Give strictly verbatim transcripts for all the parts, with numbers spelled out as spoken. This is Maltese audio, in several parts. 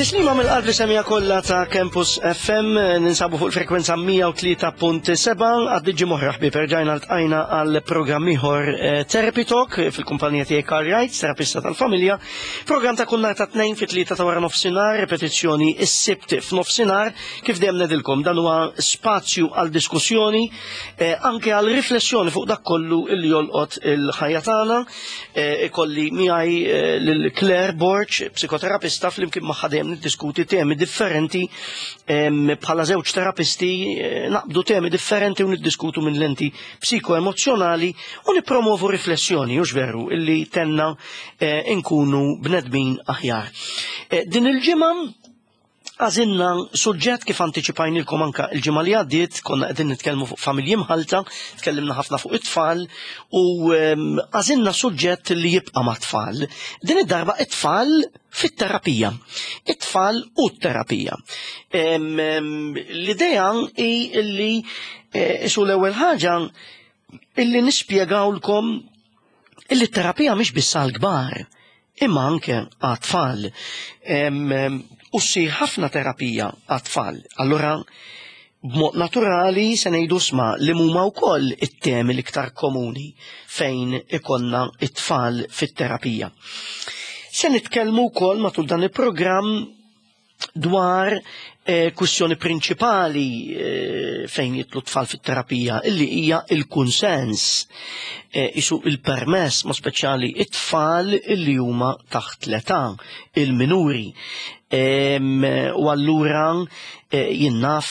Tislima mill-qalb li semija kollha ta' Campus F M, ninsabu fuq il-frekwenza mija u tlieta punt sebgħa għaddiġi moħra ħbib, erġajna ltqajna għal programm ieħor, eh, Therapy Talk, fil-kumpanija tiegħi Karl Wright, terapista tal-familja. Programm ta' kull nhar ta' tnejn fit-tlieta ta' wara nofsinhar, repetizzjoni is-Sibt f'nofsinhar. Kif dejjem ngħidilkom, dan huwa spazju għal diskussjoni, eh, anke għal riflessjoni fuq dak kollu illi jolqot il-ħajja tagħna. Eh, Ikolli miegħi eh, lil Claire Borg, psikoterapista, flimkien magħha dejjem niddiskuti temi differenti em, bħala żewġ terapisti eh, naqbdu temi differenti u niddiskutu minn lenti psikoemozjonali u nipromovu riflessjoni, hux veru, illi tgħinna eh, inkunu bnedmin aħjar. Eh, Din il-ġimgħa għażilna suġġett, kif antiċipajnilkom anka il-ġimgħa li għaddiet, konna qegħdin nitkellmu fuq familji mħalta, tkellimna ħafna fuq it-tfal u em, għażilna suġġett li jibqa' mat-tfal. Din id-darba it-tfal fit-terapija. It-tfal u t-terapija. Em, em, L-idea hi illi eh, su l-ewwel ħaġa illi nispjegawlkom illi t-terapija mhix biss għall-kbar imma anke għat-tfal. Em, em, U ssir ħafna terapija għat-tfal. Allura, b'mod naturali se ngħidu sma li huma wkoll it-temi l-iktar komuni fejn ikollna it-tfal fit-terapija. Se nitkellmu wkoll matul dan il-programm dwar eh, kwistjoni prinċipali eh, fejn jidħlu tfal fit-terapija, illi hija il-kunsens, eh, isu il-permess, ma speċjali it-tfal illi huma taħt l-età, il-minuri. Em, U allura eh, jien naf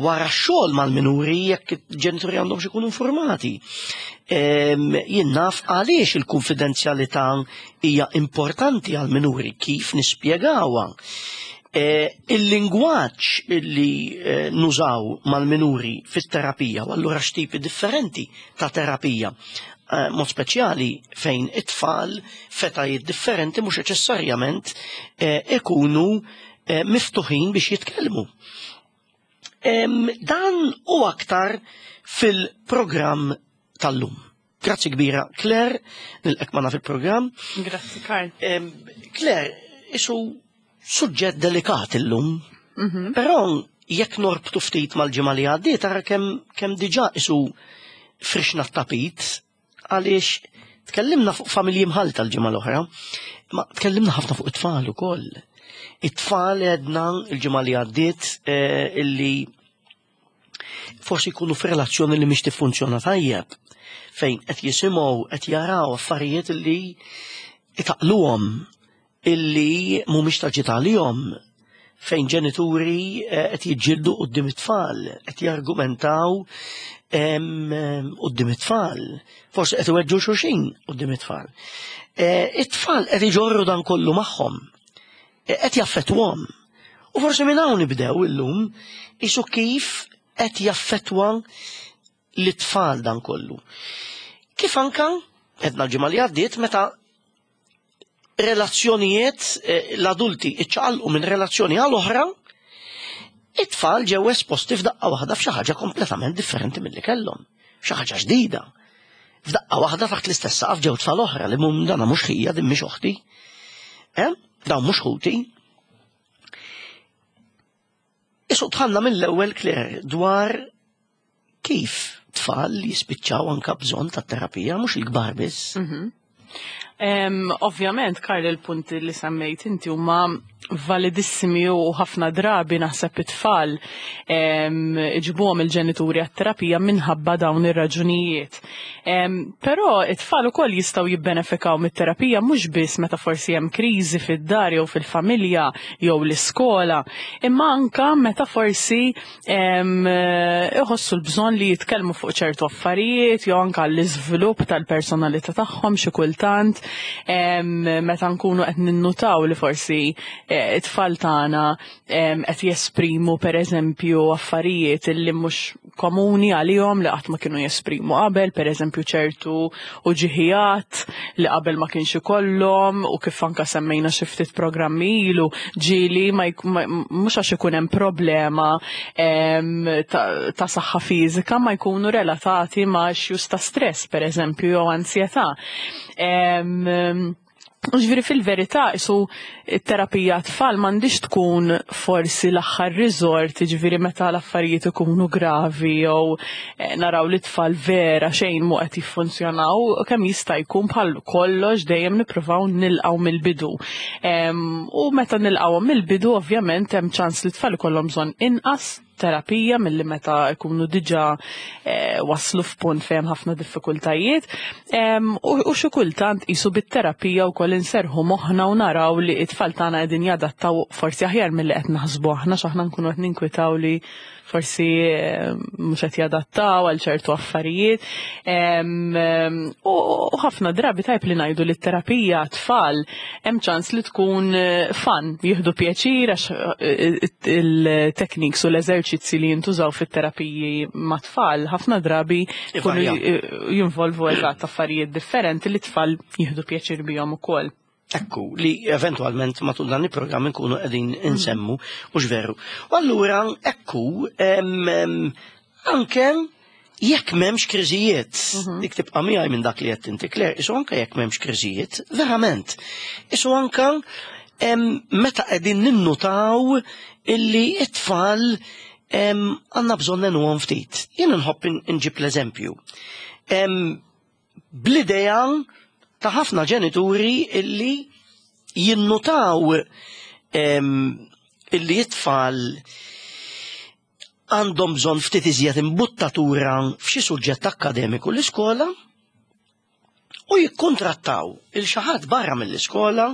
wara xogħol mal-minuri jekk il-ġenituri għandhom ikunu informati. Em, Jien naf għaliex il-konfidenzjalità hija importanti għal-minuri, kif nispjegawha. Eh, Il-lingwaġġ illi eh, nużaw mal-minuri fit-terapija u allura x'tipi differenti ta' terapija. Eh, mod speċjali fejn it-tfal f'etajiet differenti mhux neċessarjament eh, ikunu eh, miftuħin biex jitkellmu. Em, Dan u aktar fil-programm tal-lum. Grazzi kbira, Claire, nilqgħek magħna fil-programm. Grazzi, Karl. Em, Claire, isu suġġett delikat illum, però jekk norbtu ftit mal-ġimgħa li għaddiet, tara kemm kemm diġà isu frixna t-tapit, għaliex tkellimna fuq familji mħalta l-ġimgħa l-oħra, ma tkellimna ħafna fuq it-tfal ukoll. It-tfal għedna l-ġimgħa li għaddiet eh, illi forsi jkunu f'relazzjoni li mhix tiffunzjona tajjeb, fejn qed jisimgħu, qed jaraw affarijiet illi itaqluhom, illi mhumiex ta' ġid għalihom, fejn ġenituri eh, qed jiġġieldu quddiem it-tfal, qed jargumentaw em, em, quddiem it-tfal, forsi qed iweġġu xulxin quddiem it-tfal. Eh, It-tfal qed iġorru dan kollu magħhom, eh, qed jaffettwhom. U forsi minn hawn nibdew illum, isu kif qed jaffettwa l-tfal dan kollu. Kif anka, għedna l-ġimgħa li għaddiet, meta relazzjonijiet, eh, l-adulti iċċaqalqu minn relazzjoni għal oħra, it-tfal ġew esposti f'daqqa waħda f'xi ħaġa kompletament differenti milli kellhom, xi ħaġa ġdida. F'daqqa waħda taħt l-istess saqaf ġew tfal oħra li mum dana mhux ħija, din mhix oħti. Eh? Dawn mhux ħuti. Isu dħalna mill-ewwel, Claire, dwar kif tfal jispiċċaw anka bżonn ta' terapija, mhux il-kbar biss. Em, Ovvjament, Karl, il-punti li semmejt inti huma validissimi u ħafna drabi naħseb it-tfal em, iġibuhom il-ġenituri għat-terapija minħabba dawn ir-raġunijiet. Em, Però it-tfal ukoll jistgħu jibbenefikaw mit-terapija mhux biss meta forsi hemm kriżi fid-dar jew fil-familja jew l-iskola, imma anka meta forsi em, iħossu l-bżonn li jitkellmu fuq ċertu affarijiet jew anka l-iżvilupp tal-personalità tagħhom xi kultant em, meta nkunu qed ninnutaw li forsi eh, it-tfal tagħna em, qed jesprimu, pereżempju, affarijiet illi mhux komuni għalihom, li qatt ma kienu jesprimu qabel, pereżempju ċertu uġigħ li qabel ma kienx ikollhom, u kif anka semmejna xi ftit programmi ilu, ġieli ma jk- ma- mhux għax ikun hemm problema em, ta' ta' saħħa fiżika, ma jkunu relatati ma' issues ta' stress, pereżempju, jew ansjetà. Em, Ġifieri fil-verità, isu terapija tfal m'għandix tkun forsi l-aħħar resort, ġifieri meta l-affarijiet ikunu gravi jew eh, naraw li tfal vera xejn mu qed jiffunzjonaw, kemm jista' jkun bħal kollox dejjem nippruvaw nilqgħu mill-bidu. U meta nilqgħu mill-bidu, ovvjament hemm ċans li tfal ikollhom bżonn inqas terapija milli meta jkunu diġà eh, waslu f'punt fejn ħafna diffikultajiet. U xi kultant qisu bit-terapija wkoll inserħu moħħna u naraw li t-tfal tagħna qegħdin jadattaw forsi aħjar milli qed naħsbu aħna, x'aħna nkunu qed ninkwitaw li forsi mhux qed jadattaw għal ċertu affarijiet. U ħafna drabi tajb li ngħidu li t-terapija tfal hemm ċans li tkun eh, fun, jieħdu pjaċir għax eh, il-techniques u l-eżerċizzi li jintużaw fit-terapiji ma' tfal ħafna drabi jkunu jinvolvu eżatt affarijiet differenti li tfal jieħdu pjaċir bihom ukoll. Ekku, li eventualment matul dan il-programm nkunu qegħdin insemmu, u veru. U allura, ekku, anke jekk m'hemmx kriżijiet, mhm. dik tibqa' miegħi minn dak li qed inti, Claire, isu anke jekk m'hemmx kriżijiet, verament. Isu anke meta qegħdin ninnutaw illi it-tfal għandna bżonn ngħinuhom ftit. Jien nħobb inġib l-eżempju. Bl-idea ta' ħafna ġenituri illi jinnutaw illi it-tfal għandhom bżonn ftit iżjed imbuttatura f'xi suġġett akkademiku l-iskola u jikkontrattaw il xi ħadd barra mill-iskola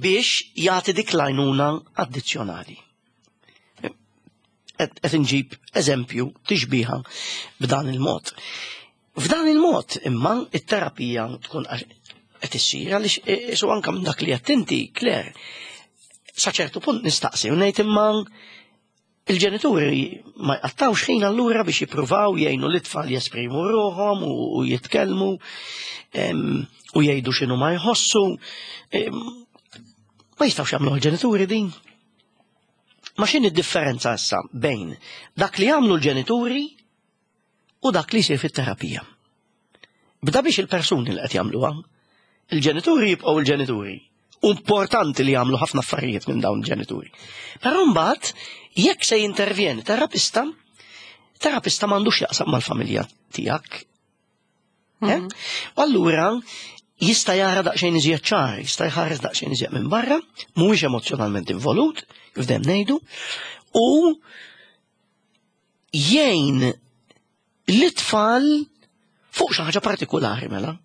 biex jagħti dik l-għajnuna addizzjonali. Qed inġib eżempju tixbiha b'dan il-mod. F'dan il-mod imma it-terapija tkun qed issir għaliex isu anke minn dak li qed inti, Claire, sa ċertu punt nistaqsi u ngħid imma il-ġenituri ma jqattawx ħin allura biex jippruvaw jgħinu l-itfal jesprimu ruħhom u jitkellmu u jgħidu x'inhu ma jħossu. Ma jistgħux jagħmlu l-ġenituri din. Ma x'inhi d-differenza issa bejn dak li jagħmlu l-ġenituri u dak li jsir fit-terapija? Bda biex il-persuni li qed jagħmluha, il-ġenituri jibqgħu il-ġenituri. Importanti li jagħmlu ħafna affarijiet minn dawn il-ġenituri. Però mbagħad jekk se jintervjeni terapista, terapista m'għandux jaqsam mal-familja tiegħek. Eh? Mhm. U allura jista' jara daqsxejn iżjed ċar, jista' jħares daqsxejn iżjed minn barra, mhuwiex emozjonalment involut, kif dejjem ngħidu, u jgħin l-itfal fuq xi ħaġa partikolari mela.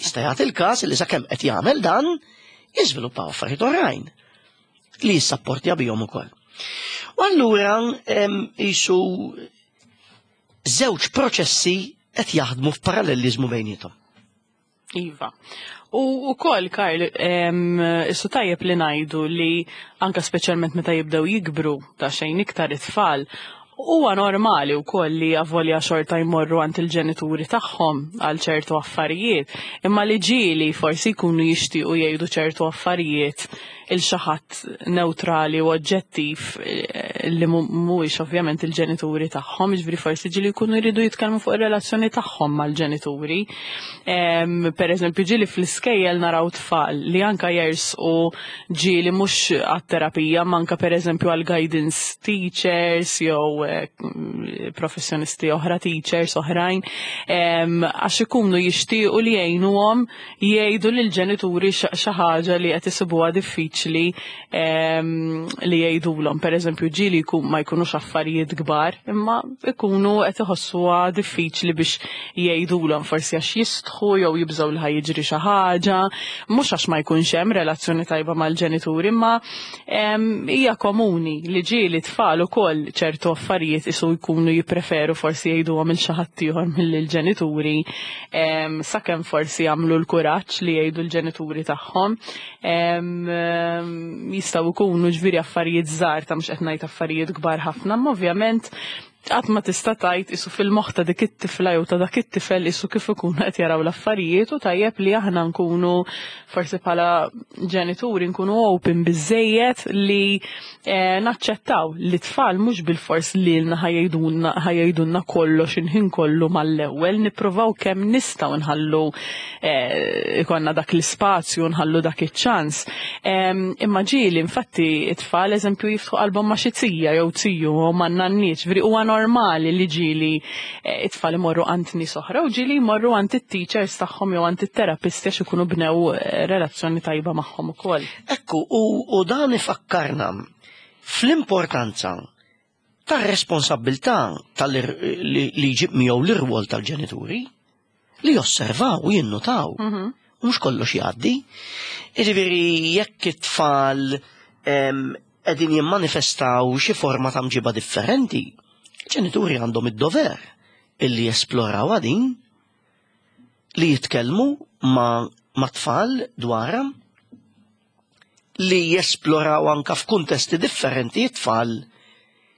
Jista' jagħti il-każ li sakemm qed jagħmel dan, jiżviluppaw affarijiet oħrajn li jissapportja bihom ukoll. U allura jisu żewġ proċessi qed jaħdmu f'paralleliżmu bejniethom. Iva. U ukoll, Karl, issu tajjeb li ngħidu li anka speċjalment meta jibdew jikbru ta' xejn iktar it-tfal, huwa normali wkoll li avolja xorta jmorru għand il-ġenituri tagħhom għal ċertu affarijiet, imma li ġieli forsi jkunu jixtiequ jgħidu ċertu affarijiet il xi ħadd neutrali u oġġettiv eh, li mhuwiex ovvjament il-ġenituri tagħhom, jiġifieri forsi ġieli jkunu jridu jitkellmu fuq ir-relazzjoni tagħhom mal-ġenituri. Per eżempju, ġieli fl-iskejjel naraw tfal li anka jersqu ġieli mhux għat-terapija, manka per eżempju għal guidance teachers jew eh, professjonisti oħra, teachers oħrajn, għax ikunu jixtiequ li jgħinuhom jgħidu lill-ġenituri xi ħaġa li qed isibuha diffiċli li jgħidulhom. Per eżempju, ġieli jkun ma jkunux affarijiet kbar, imma ikunu qed iħossuha diffiċli biex jgħidulhom, forsi għax jistħu jew jibżgħu li ħa jiġri xi ħaġa, mhux għax ma jkunx hemm relazzjoni tajba mal-ġenituri, imma hija komuni li ġieli tfal ukoll ċertu affarijiet isu jkunu jippreferu forsi jgħiduhom il xi ħadd ieħor mill-ġenituri, sakemm forsi jagħmlu l-kuraġġ li jgħidu l-ġenituri tagħhom. Jistgħu jkunu ġifieri affarijiet żgħar ta' mhux qed ngħid affarijiet kbar ħafna, imma ovvjament Qatt ma tista' tgħid isu fil-moħħ ta' dik it-tifla jew ta' dak it-tifel isu kif ikunu qed jaraw l-affarijiet, u tajjeb li aħna nkunu forsi bħala ġenituri nkunu open biżejjed li eh, naċċettaw li tfal mhux bilfors lilna ħa jgħidulna kollox il-ħin kollu mal-ewwel. Nippruvaw kemm nistgħu nħallu eh, ikollna dak l-ispazju, nħallu dak iċ-ċans. Imma ġieli infatti it-tfal, eżempju, jiftħu qalbhom ma' xi zija jew ziju u ma' nanniet, ġifieri huwa normali li ġieli eh, it-tfal imorru għand nies oħra u ġieli jmorru għand it-teachers tagħhom jew għand it-terapisti għax ikunu bnew eh, relazzjoni tajba magħhom ukoll. Ekku, u, u dan ifakkarna fl-importanza tar-responsabbiltà tal li, li jġib miegħu l-irwol tal-ġenituri li josservaw u jinnutaw. Mhm. U mhux kollox jgħaddi. Jiġifieri jekk it-tfal qegħdin jimmanifestaw xi forma ta' mġiba differenti, ġenituri għandhom id-dover illi jesploraw din, li jitkellmu ma, ma tfal dwarha, li jesploraw anka f'kuntesti differenti tfal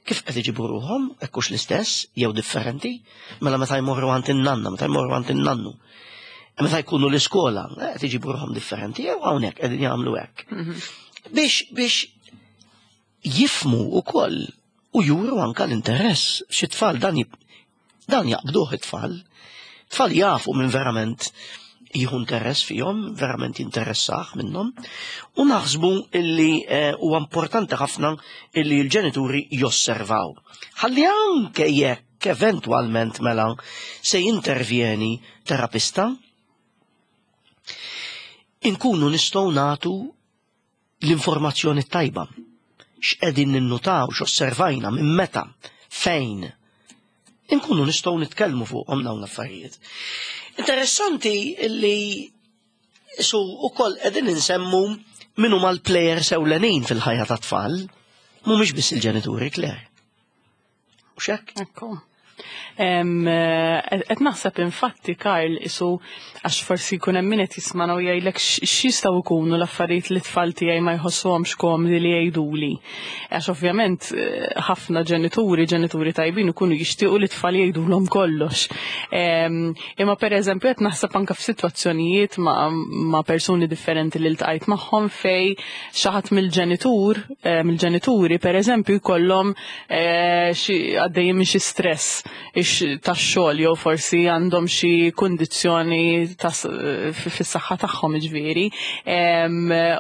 kif qed iġibu ruħhom, hekk hux l-istess jew differenti, mela meta jmorru għand in-nanna, meta jmorru għand in-nannu. Meta jkunu l-iskola, qed iġibu ruħhom differenti jew hawnhekk qegħdin jagħmlu hekk. Biex biex jifhmu ukoll u juru anka l-interess. Xi tfal dan dan jaqbduh it-tfal. Tfal jafu minn verament jieħu interess fihom, verament jinteressah minnhom, u naħsbu illi huwa importanti ħafna illi l-ġenituri josservaw. Ħalli anke jekk eventwalment mela se jintervjeni terapista, inkunu nistgħu nagħtu l-informazzjoni tajba. X'qegħdin ninnutaw, x'osservajna, minn meta, fejn. Inkunu nistgħu nitkellmu fuqhom dawn l-affarijiet. Interessanti illi su ukoll qegħdin insemmu min huma l-players ewlenin fil-ħajja tat-tfal, mhumiex biss il-ġenituri, Claire. U xek? Ekku. Qed naħseb infatti, Karl, isu għax forsi jkun hemm min qed jismana u jgħidlek x'jistgħu jkunu l-affarijiet li tfal tiegħi ma jħossuhomx komdi li jgħiduli. Għax ovvjament ħafna ġenituri, ġenituri tajbin, ikunu jixtiequ li tfal jgħidulhom kollox. Imma pereżempju qed naħseb anke f'sitwazzjonijiet ma', ma persuni differenti li ltqajt magħhom fej xi ħadd mill-ġenitur, mill-ġenituri pereżempju jkollhom xi għaddejjin minn xi stress tax-xogħol jew forsi għandhom xi kundizzjoni fis-saħħa tagħhom, ġifieri.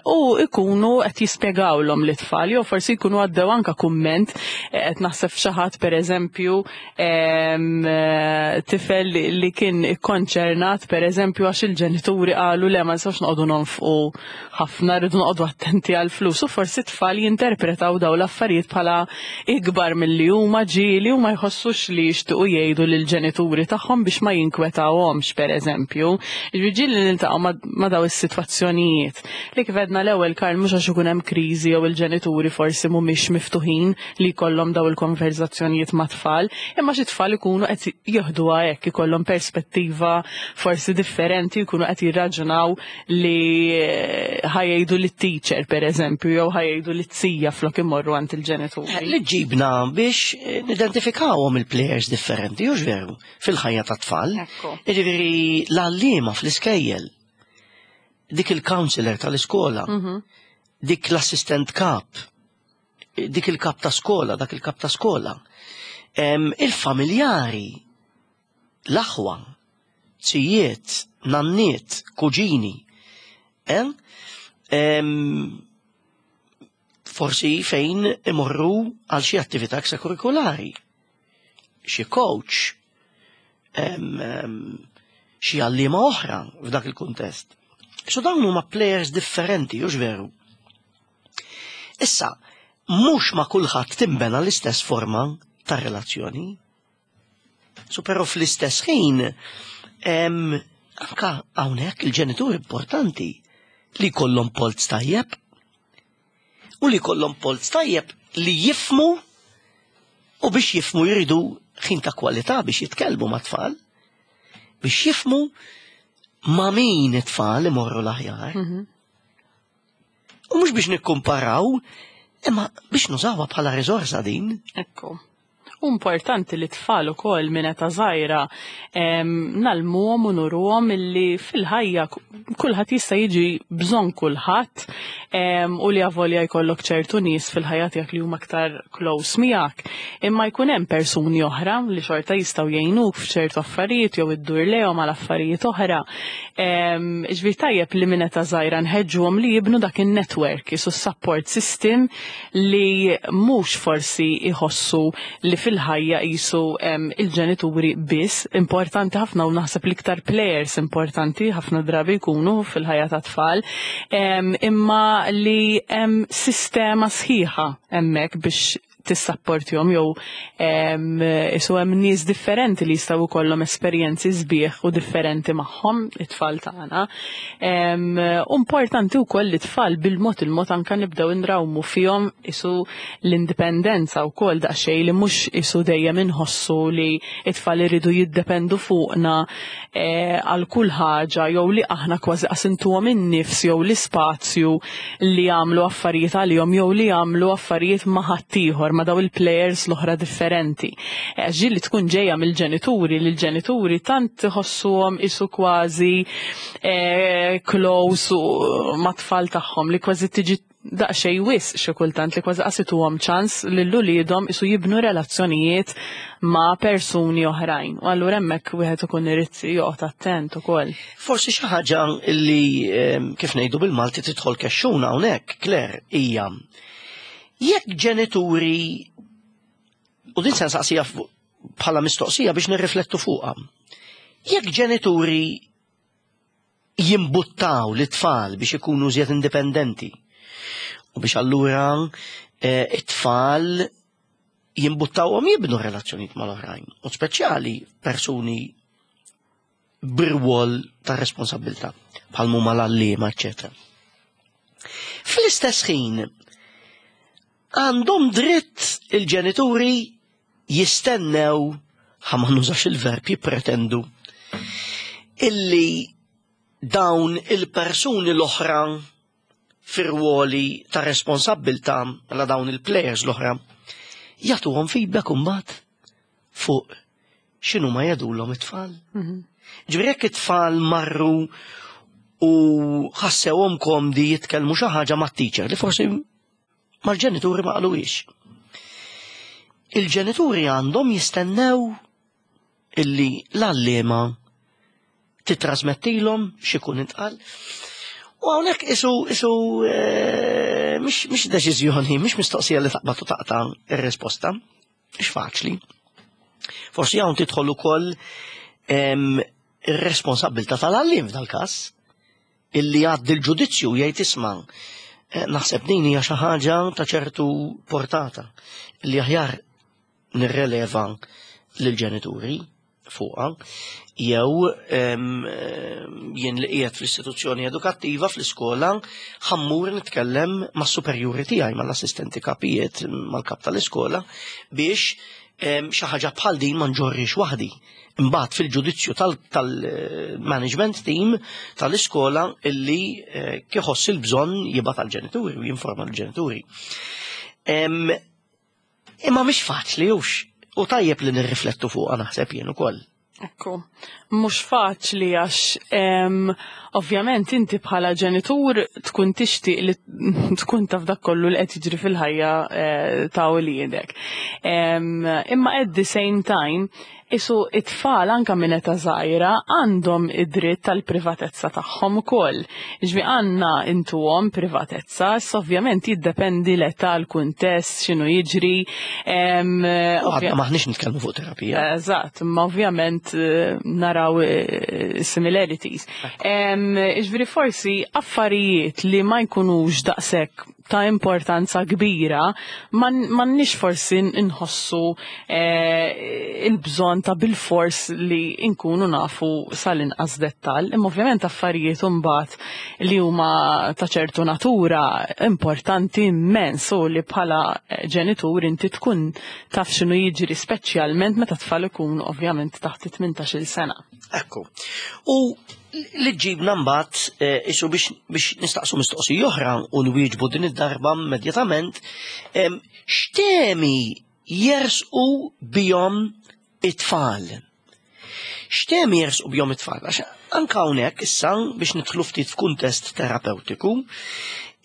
U ikunu qed jispjegawlhom lit-tfal jew forsi jkunu għaddew anka kumment. Qed naħseb xi ħadd, pereżempju, tifel li kien ikkonċernat, pereżempju, għax il-ġenituri qalu: "Le, ma nistgħux noqogħdu nonfqu ħafna, rridu noqogħdu attenti għall-flus", u forsi tfal jinterpretaw dawn l-affarijiet bħala ikbar milli huma ġieli u ma jħossux li jixtiequ jgħidu lill-ġenituri tagħhom biex ma jinkwetawhomx, pereżempju. Ġieli niltaqgħu ma' daw is-sitwazzjonijiet. Li kif għedna l-ewwel, Karl, mhux għax ikun hemm kriżi jew il-ġenituri forsi mhumiex miftuħin li jkollhom daw il-konverzazzjonijiet ma' tfal, imma xi tfal ikunu qed jieħduha hekk, ikollhom perspettiva forsi differenti, jkunu qed jirraġunaw li ħa jgħidu lit-teacher, pereżempju, jew ħa jgħidu lit-zija flok imorru għand il-ġenituri. Li ġibna biex nidentifikawhom il-players differenti, hux veru, fil-ħajja ta' tfal. Jiġifieri l-għalliema fl-iskejjel, dik il-counselor tal-iskola, Mhm. dik l-assistent kap, dik il-kap ta' skola, dak il-kap ta' skola. Em, Il-familjari, l-aħwa, zijiet, nanniet, kuġini, em? Em, forsi fejn imorru għal xi attività ekstrakurrikulari, xi coach, em, em, xi għalliema oħra f'dak il-kuntest. So dawn huma players differenti, hux veru? Issa, mhux ma' kulħadd timbena l-istess forma ta' relazzjoni. So però fl-istess ħin, em, anka hawnhekk il-ġenitur importanti li jkollhom polz tajjeb u li jkollhom polz tajjeb li jifhmu, u biex jifhmu jridu ħin ta' kwalità biex jitkellmu ma' tfal, biex jifhmu ma' min it-tfal imorru l-aħjar. Mhm. U mhux biex nikkumparaw, imma biex nużawha bħala riżorsa din. Ekku. U Importanti li tfal ukoll minn età żgħira ngħallmuhom u nuruhom illi fil-ħajja kulħadd jista' jiġi bżonn kulħadd u li avolja jkollok ċertu nies fil-ħajja tiegħek li huma aktar close miegħek. Imma jkun hemm persuni oħra li xorta jistgħu jgħinuk f'ċertu affarijiet jew iddur lejhom għal affarijiet oħra. Ġifieri tajjeb li minn età żgħira nħeġġuhom li jibnu dak in-network, isu support system li mhux forsi jħossu li fil-ħajja jisu il-ġenituri biss, importanti ħafna u naħseb l-iktar players importanti ħafna drabi jkunu fil-ħajja ta' tfal, imma li hemm sistema sħiħa hemmhekk biex tissapportjhom jew isu hemm nies differenti li jistgħu jkollhom esperjenzi sbieħ u differenti magħhom it-tfal tagħna. Importanti wkoll li tfal bil-mod il-mod anke nibdew inrawmu fihom isu l-indipendenza wkoll daqsxejn li mhux isu dejjem inħossu li it-tfal iridu jiddependu fuqna għal kull ħaġa jew li aħna kważi qasintuhom in-nifs jew l-ispazju li jagħmlu affarijiet għalihom jew li jagħmlu affarijiet ma' ħaddieħor, ma' daw il-players l-oħra differenti. Ġi li tkun ġejja mill-ġenituri, li l-ġenituri tant iħossuhom isu kważi close u mat-tfal tagħhom li kważi tiġi daqsxejn wisq xi kultant li kważi qasituhom ċans lil uliedhom isu jibnu relazzjonijiet ma' persuni oħrajn. U allura hemmhekk wieħed ikun irid joqgħod attent ukoll. Forsi xi ħaġa li kif ngħidu bil-Malti tidħol kexxuna hawnhekk, Claire, hija jekk ġenituri, u din se nsaqsija bħala mistoqsija biex nirriflettu fuqha, jekk ġenituri jimbuttaw l-tfal biex ikunu żjed indipendenti u biex allura it-tfal jimbuttawhom jibnu relazzjonijiet mal-oħrajn, u speċjali persuni b'rwol ta' responsabilità bħal huma l-għalliema, eċċetera. Fl-istess ħin għandhom dritt il-ġenituri jistennew, ħa ma nużax il-verb jippretendu, illi dawn il-persuni l-oħra fir-ruoli ta' responsabbiltà għal dawn il-players l-oħra jagħtuhom feedback imbagħad fuq x'inhu ma jgħidulhom it-tfal. Ġifieri jekk it-tfal marru u ħassewhom komdi jitkellmu xi ħaġa mat-teacher li forsi mal-ġenituri ma qaluhiex. Il-ġenituri għandhom jistennew illi l-għalliema titrasmettilhom x'ikun intqal. U hawnhekk isu isu mhix mhix deċiżjoni, mhix mistoqsija li taqbad u taqta' ir-risposta, mhix faċli. Forsi hawn tidħol ukoll ir-responsabbiltà tal-għalliem f'dal-każ, illi jgħaddi l-ġudizzju jgħid isma' naħseb din hija xi ħaġa ta' ċertu portata li aħjar nirreleva lill-ġenituri fuqha, jew jien li qiegħed fl-istituzzjoni edukattiva fl-iskola ħammur nitkellem mas-superjuri tiegħi, mal-assistenti kapijiet, mal-kap tal-iskola biex xi ħaġa bħal din ma nġorrix waħdi. Imbagħad fil-ġudizzju tal-management team tal-iskola illi kieħoss il-bżonn jibgħat għall-ġenituri u jinforma l-ġenituri. Imma mhix faċli hux, u tajjeb li nirriflettu fuqha naħseb jien ukoll. Ekku, mhux faċli għax ovvjament inti bħala ġenitur tkun tixtieq li tkun taf dak kollu li qed jiġri fil-ħajja ta' uliedek. Imma at the same time, isu it-tfal anka minn età żgħira għandhom id-dritt tal-privatezza tagħhom ukoll. Ġifieri għandna intuhom privatezza, issa ovvjament jiddependi l-età, l-kuntest, x'inhu jiġri. Għadna maħniex nitkellmu fuq terapija. Eżatt, imma ovvjament naraw similarities. Ġifieri forsi affarijiet li ma jkunux daqshekk ta' importanza kbira, m'għandniex forsi nħossu il-bżonn ta' bil-fors li nkunu nafu sal-inqas dettall. Imma ovvjament affarijiet imbagħad li huma ta' ċertu natura importanti immens u li bħala ġenitur inti tkun taf x'inhu jiġri, speċjalment meta tfal ikunu ovvjament taħt it-tmintax-il sena. Ekku. U li ġibna mbagħad isu biex nistaqsu mistoqsija oħra u nwieġbu din id-darba immedjatament, x'temi jersqu bihom it-tfal. X'temi jersqu bihom it-tfal? Għax anka hawnhekk issa biex nidħlu ftit f'kuntest terapeutiku,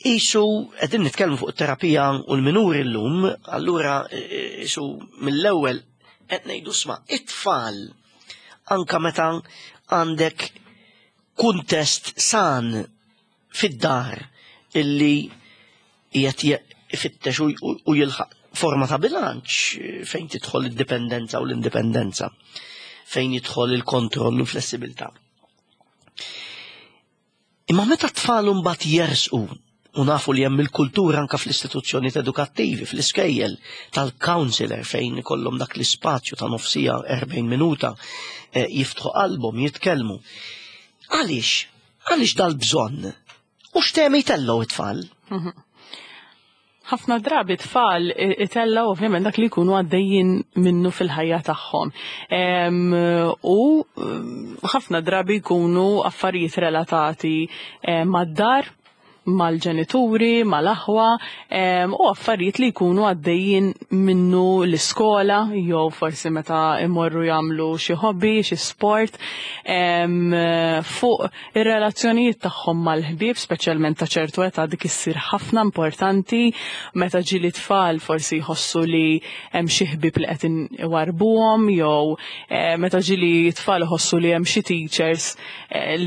qisu qegħdin nitkellmu fuq it-terapija u l-minuri llum, allura qisu mill-ewwel qed ngħidu sma' it-tfal anka meta għandek kuntest san fid-dar illi qiegħed ifittex u jilħaq forma ta' bilanċ fejn tidħol id-dipendenza u l-indipendenza, fejn jidħol il-kontroll u l-flessibilità. Imma meta t-tfal mbagħad jersqu u nafu li hemm il-kultura anka fl-istituzzjonijiet edukattivi, fl-iskejjel tal-counselor fejn ikollhom dak l-ispazju ta' nofsija erbgħin minuta jiftħu qalbhom, jitkellmu. Għaliex? Għaliex dal-bżonn? U x'temi jtellgħu it-tfal? Ħafna drabi tfal itellgħu ovvjament dak li jkunu għaddejjin minnu fil-ħajja tagħhom. U ħafna drabi jkunu affarijiet relatati mad-dar, mal-ġenituri, mal-aħwa, u affarijiet li jkunu għaddejjin minnu l-iskola, jew forsi meta imorru jagħmlu xi hobby, xi sport, fuq ir-relazzjonijiet tagħhom mal-ħbieb, speċjalment ta' ċertu età dik issir ħafna importanti, meta ġieli tfal forsi jħossu li hemm xi ħbieb li qed iwarbuhom, jew meta ġieli tfal iħossu li hemm xi teachers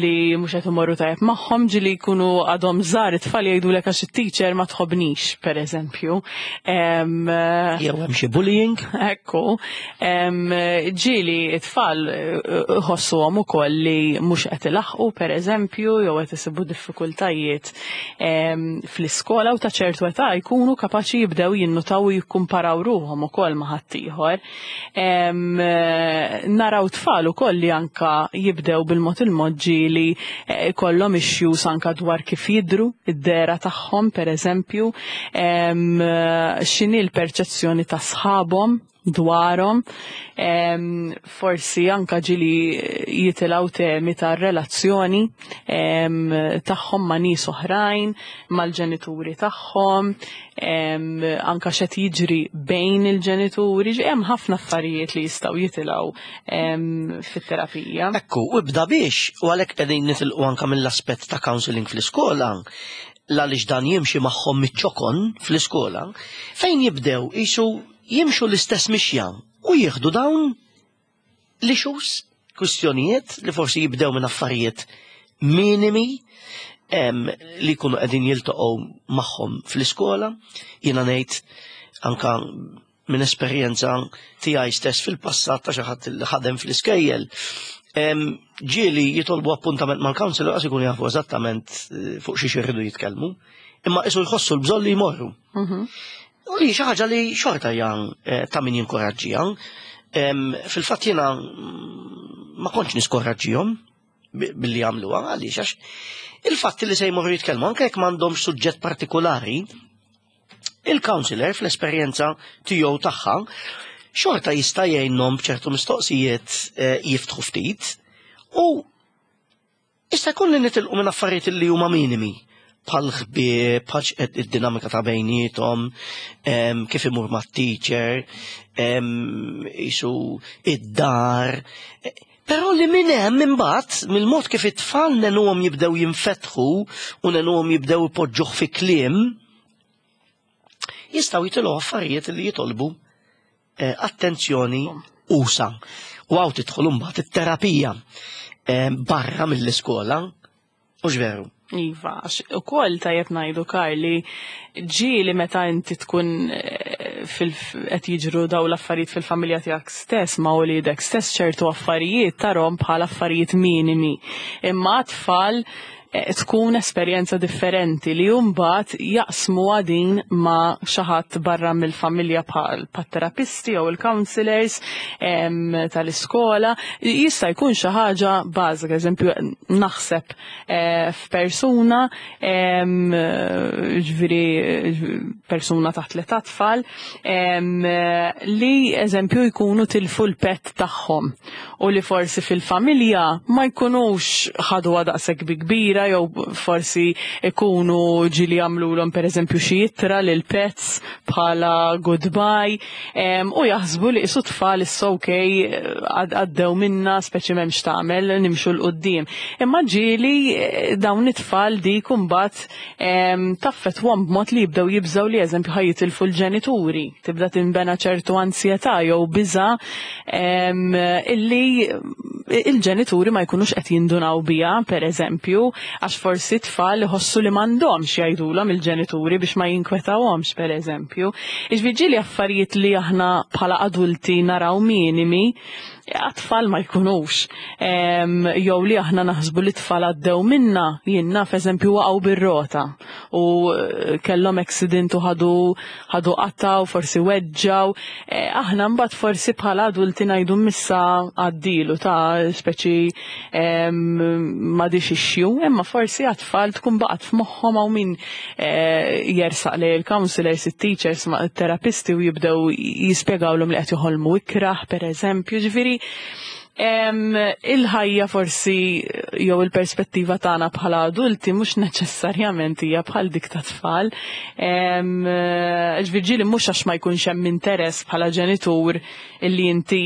li mhux qed imorru tajjeb magħhom, ġieli jkunu għadhom żgħar it-tfal jgħidulek għax it-teacher ma tħobnix, per eżempju. Jew hemm xi bullying. Ekku. Ġieli it-tfal ħossuhom ukoll li mhux qed ilaħqu, per eżempju, jew qed isibu diffikultajiet fl-iskola u ta' ċertu età jkunu kapaċi jibdew jinnutaw u jikkumparaw ruħhom ukoll ma' ħaddieħor. Naraw tfal ukoll li anka jibdew bil-mod il-mod ġieli kollhom issues anka dwar kif jidhru, id-dera tagħhom per eżempju, x'inhi l-perċezzjoni ta' sħabhom dwarhom, forsi anka ġieli jitilgħu temi ta' relazzjoni tagħhom ma' nies oħrajn, mal-ġenituri tagħhom, anka x'qed jiġri bejn il-ġenituri, hemm ħafna affarijiet li jistgħu jitilgħu fit-terapija. Ekku, u ibda biex, u għalhekk qegħdin nitilqu anka mill-aspett ta' counseling fl-iskola, għaliex dan jimxi magħhom miċ-ċokon fl-iskola, fejn jibdew qisu jimxu l-istess mixja u jieħdu dawn l-issues, kwistjonijiet li forsi jibdew minn affarijiet minimi li jkunu qegħdin jiltaqgħu magħhom fl-iskola. Jiena ngħid anka minn esperjenza tiegħi stess fil-passat ta' xi ħadd li ħadem fl-iskejjel, ġieli jitolbu appuntament mal-counselor għax ikunu jafu eżattament fuq xi xirridu jitkellmu, imma qisu jħossu l-bżonn li jmorru. U li xi ħaġa li xorta hija ta' min jinkoraġġiha. Fil-fatt jiena ma kontx niskoraġġihom billi jagħmluha, għaliex għax il-fatt li se jmorru jitkellmu anke jekk m'għandhomx suġġett partikolari, il-counselor fl-esperjenza tiegħu tagħha xorta jista' jgħinhom b'ċertu mistoqsijiet jiftħu ftit u jista' jkun li nitilqu minn affarijiet li huma minimi, bħal ħbieb, bħal id-dinamika ta' bejniethom, kif imur mat-teacher, qisu id-dar. Però li minn hemm imbagħad mill-mod kif it-tfal nenuhom jibdew jinfetħu u nenuhom jibdew ipoġġuh fi kliem, jistgħu jitilgħu affarijiet li jitolbu attenzjoni usa. U hawn tidħol imbagħad it-terapija barra mill-iskola, u veru. Iva, u koll tajjeb ngħidu Karli, ġieli meta inti tkun qed jiġru daw l-affarijiet fil-familja tiegħek stess ma' wliedek stess, ċertu affarijiet tarhom bħala affarijiet minimi. Imma tfal tkun esperjenza differenti li mbagħad jaqsmu din ma' xi ħadd barra mill-familja bħal terapisti jew il-counselors tal-iskola. Jista' jkun xi ħaġa bażika, eżempju naħseb f'persuna, ġifieri persuna taħt l-età tfal, li eżempju jkunu tilfu l-pet tagħhom u li forsi fil-familja ma jkunux ħaduha daqshekk bi kbira kbira, jew forsi ikunu ġieli għamlulhom pereżempju xi ittra lil pets bħala goodbye, u jaħsbu li qisu tfal issa okej għaddew minna, speċi m'hemmx tagħmel, nimxu 'l quddiem. Imma ġieli dawn it-tfal dik imbagħad taffettwahom b'mod li jibdew jibżgħu li eżempju ħa jitilfu l-ġenituri, tibda tinbena ċertu ansjetà jew biża illi il-ġenituri ma jkunux qed jindunaw biha, per eżempju, għax forsi tfal iħossu li m'għandhomx jgħidulhom il-ġenituri biex ma jinkwetawhomx, per eżempju. Iġifieri affarijiet li aħna bħala adulti naraw minimi, għat-tfal ma jkunux. Jew li aħna naħsbu li tfal għaddew minna, jien naf eżempju waqgħu bir-rota u kellhom accident u ħadu ħadu qatta u forsi weġġaw. Aħna mbagħad forsi bħala adulti ngħidu missa għaddilu ta' speċi m'għadix issue, imma forsi għat-tfal tkun baqgħet f'moħħhom, hawn min jersaq li il-counselors, it-teachers, terapisti u jibdew jispjegawlhom li qed joħolmu ikrah, per eżempju, ġifieri il-ħajja forsi jew il-perspettiva tagħna bħala adulti mhux neċessarjament hija bħal dik ta' tfal. Ġifieri mhux għax ma jkunx hemm interess bħala ġenitur illi inti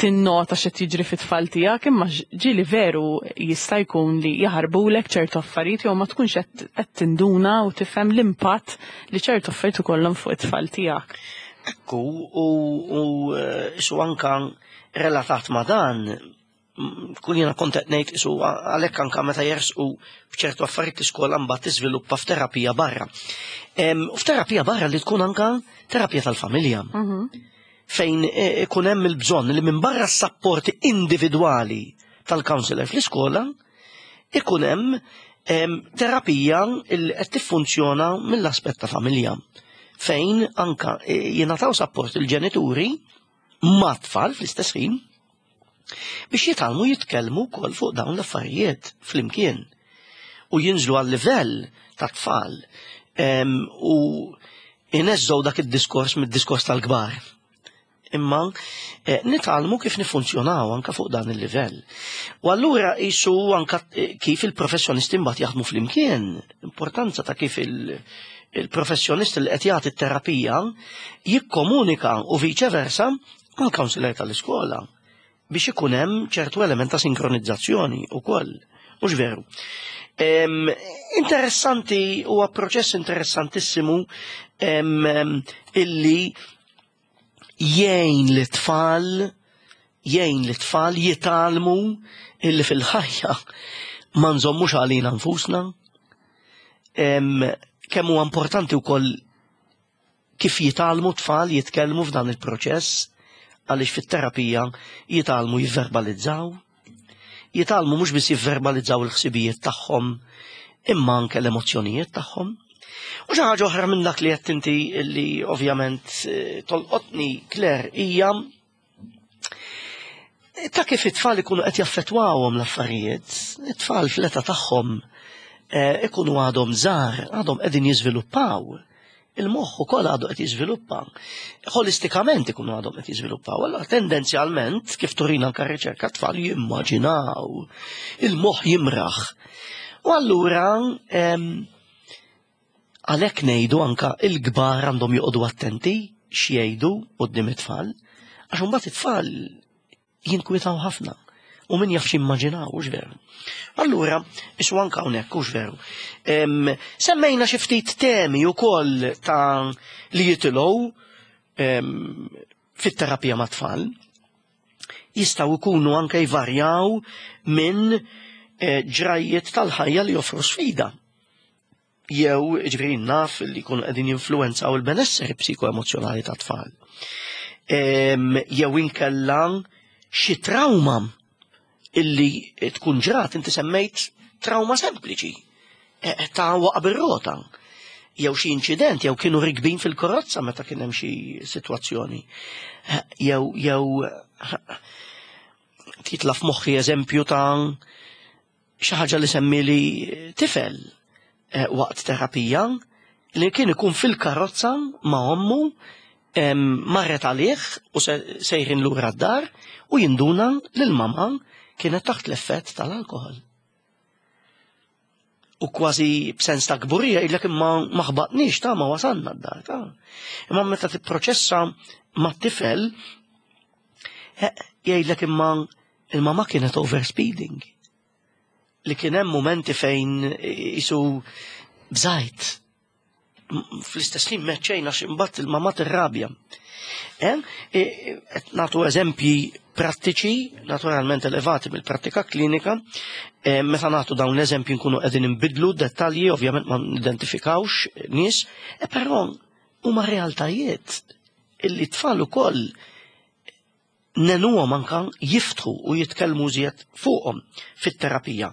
tinnota x'qed jiġri fit-tfal tiegħek, imma ġieli veru jista' jkun li jaħarbulek ċertu affarijiet jew ma tkunx qed tinduna u tifhem l-impatt li ċertu affarijiet ikollhom fuq it-tfal tiegħek. Ekku, u su anka relatat ma dan, kun jena kont qed ngħid isu għalhekk anka meta jersqu b'ċertu affarijiet l-iskola mbagħad tiżviluppa f'terapija barra. U f'terapija barra li tkun anka terapija tal-familja. Fejn ikun hemm il-bżonn li minn barra s-sapporti individwali tal-counselor fl-iskola ikun hemm terapija li qed tiffunzjona mill-aspett ta' familja. Fejn anka jingħataw sapport il-ġenituri ma' tfal fl-istess ħin biex jitgħallmu jitkellmu wkoll fuq dawn l-affarijiet flimkien u jinżlu għal livell ta' tfal u ineżżgħu dak id-diskors mid-diskors tal-kbar. Imma nitgħallmu kif nifunzjonaw anka fuq dan il-livell. U allura qisu anka kif il-professjonisti mbagħad jaħdmu flimkien, importanza ta' kif il- il-professjonist li qed jagħti t-terapija jikkomunika u viċe versa mal-counselor tal-iskola biex ikun hemm ċertu element ta' sinkronizzazzjoni wkoll. Mhux veru. Interessanti, huwa proċess interessantissimu illi jgħin lit-tfal jgħin lit-tfal jitgħallmu illi fil-ħajja ma nżommux għalina nfusna. Kemm huwa importanti wkoll kif jitgħallmu tfal jitkellmu f'dan il-proċess, għaliex fit-terapija jitgħallmu jivverbalizzaw, jitgħallmu mhux biss jivverbalizzaw il-ħsibijiet tagħhom, imma anke l-emozzjonijiet tagħhom. U xi ħaġa oħra minn dak li qed inti li ovvjament tolqotni, Claire, hija ta' kif it-tfal ikunu qed jaffettwawhom l-affarijiet. It-tfal fl-età tagħhom ikunu għadhom żgħar, għadhom qegħdin jiżviluppaw. Il-moħħ ukoll għadu qed jiżviluppa. Holistikament ikunu għadhom qed jiżviluppaw. Allora tendenzjalment, kif turina anke r-riċerka, tfal jimmaġinaw, il-moħħ jimraħ. U allura għalhekk ngħidu anka il-kbar għandhom joqogħdu attenti x'jgħidu quddiem it-tfal, għax imbagħad it-tfal jinkwitaw ħafna. U min jaf x'immaġinaw, hux veru. Allura, isu anka hawnhekk, hux veru. Semmejna xi ftit temi wkoll ta' li jitilgħu fit-terapija mat-tfal. Jistgħu jkunu anke jvarjaw minn ġrajiet tal-ħajja li joffru sfida. Jew, ġifieri naf li jkunu qegħdin jinfluwenzaw il-benesseri psikoemozzjonali tat-tfal. Jew inkella xi trauma illi tkun ġrat, inti semmejt trauma sempliċi, ta' waqa bir-rota, jew xi inċident, jew kienu rikbin fil-karozza meta kien hemm xi sitwazzjoni. Jew jew titla' f'moħħi eżempju ta' xi ħaġa li semmili tifel waqt terapija li kien ikun fil-karozza ma' ommu, marret għalih u sejrin lura d-dar u jinduna lil mama kienet taħt l-effett tal-alkohol. U kważi b'sens ta' kburija jgħidlek imma ma ħbatniex ta' ma wasalna d-dar ta'. Imma meta tipproċessa mat-tifel jgħidlek imma il-mama kienet overspeeding. Li kien hemm momenti fejn isu bżajt. Fl-istess ħin meċċejna x'imbagħad il-mama tirrabja. Qed nagħtu eżempji prattiċi, naturalment elevati mill-prattika klinika, meta nagħtu dawn l-eżempji nkunu qegħdin inbidlu dettalji, ovvjament ma nidentifikawx nies, però huma realtajiet illi tfal ukoll nenuhom anka jiftħu u jitkellmu żjed fuqhom fit-terapija.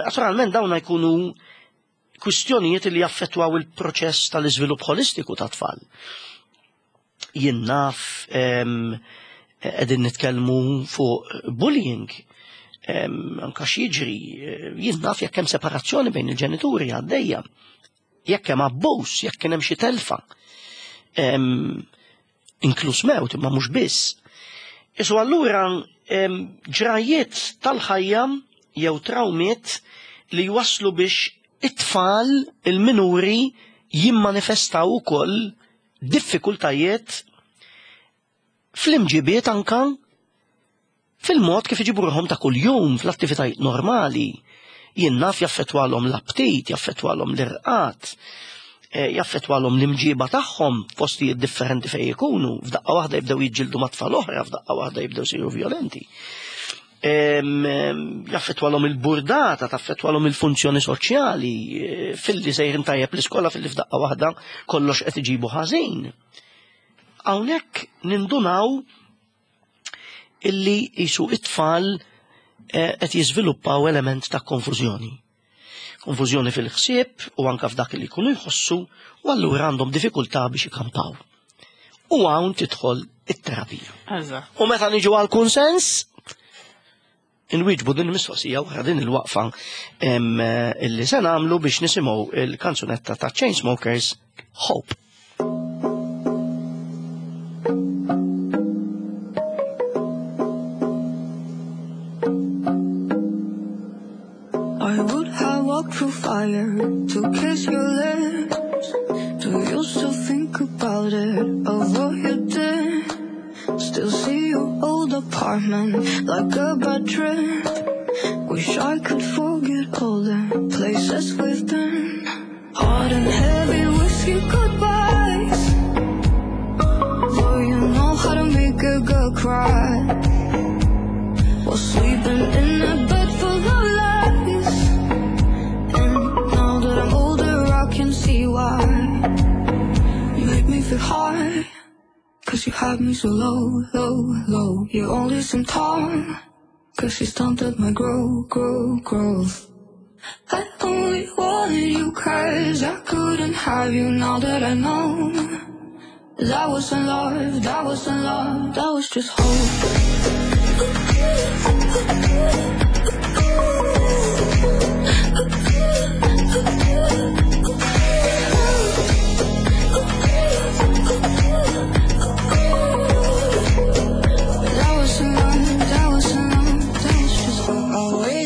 Naturalment dawn jkunu kwistjonijiet li jaffettwaw il-proċess tal-iżvilupp holistiku ta' tfal. Jien naf qegħdin nitkellmu fuq bullying, anka x'jiġri, jien naf jekk hemm separazzjoni bejn il-ġenituri għaddejja, jekk hemm abbuż, jekk kien hemm xi telfa, inkluż mewt imma mhux biss. Isu allura ġrajiet tal-ħajja jew trawmiet li jwasslu biex it-tfal il-minuri jimmanifestaw ukoll diffikultajiet fl-imġibiet anka fil-mod kif iġibu ruħhom ta' kuljum fl-attivitajiet normali. Jien naf jaffettwalhom l-aptit, jaffettwalhom l-irqat, jaffettwalhom l-imġiba tagħhom f'postijiet differenti fejn ikunu, f'daqqa waħda jibdew jiġġieldu ma' tfal oħra, f'daqqa waħda jibdew isiru violenti. Jaffettwalhom il-burdata, taffettwalhom il-funzjoni soċjali, filli sejrin tajjeb l-iskola, filli f'daqqa waħda kollox qed iġibu ħażin. Hawnhekk nindunaw illi jisu it-tfal qed jiżviluppaw element ta' konfużjoni. Konfużjoni fil-ħsieb u anka f'dak li jkunu jħossu, u allura għandhom diffikultà biex ikampaw. U hawn tidħol it-terapija. U meta niġu għal kunsens, inwieġbu din il-mistoqsija wara din il-waqfa illi se nagħmlu biex nisimgħu il-kanzunetta ta' Chainsmokers, Hope. I would have walked through fire to kiss your lips. Do you still think about it, of what you did? Still see your old apartment like a bad trip. Wish I could forget all the places we've been. Hot and heavy whiskey goodbyes. Though you know how to make a girl cry. While sleeping in a bed full of lies. And now that I'm older I can see why. You make me feel high, cause you had me so low, low, low. You only seem tall, cause you stunted my grow, grow, growth. I only wanted you cause I couldn't have you. Now that I know that wasn't love, that wasn't love, that was just hope.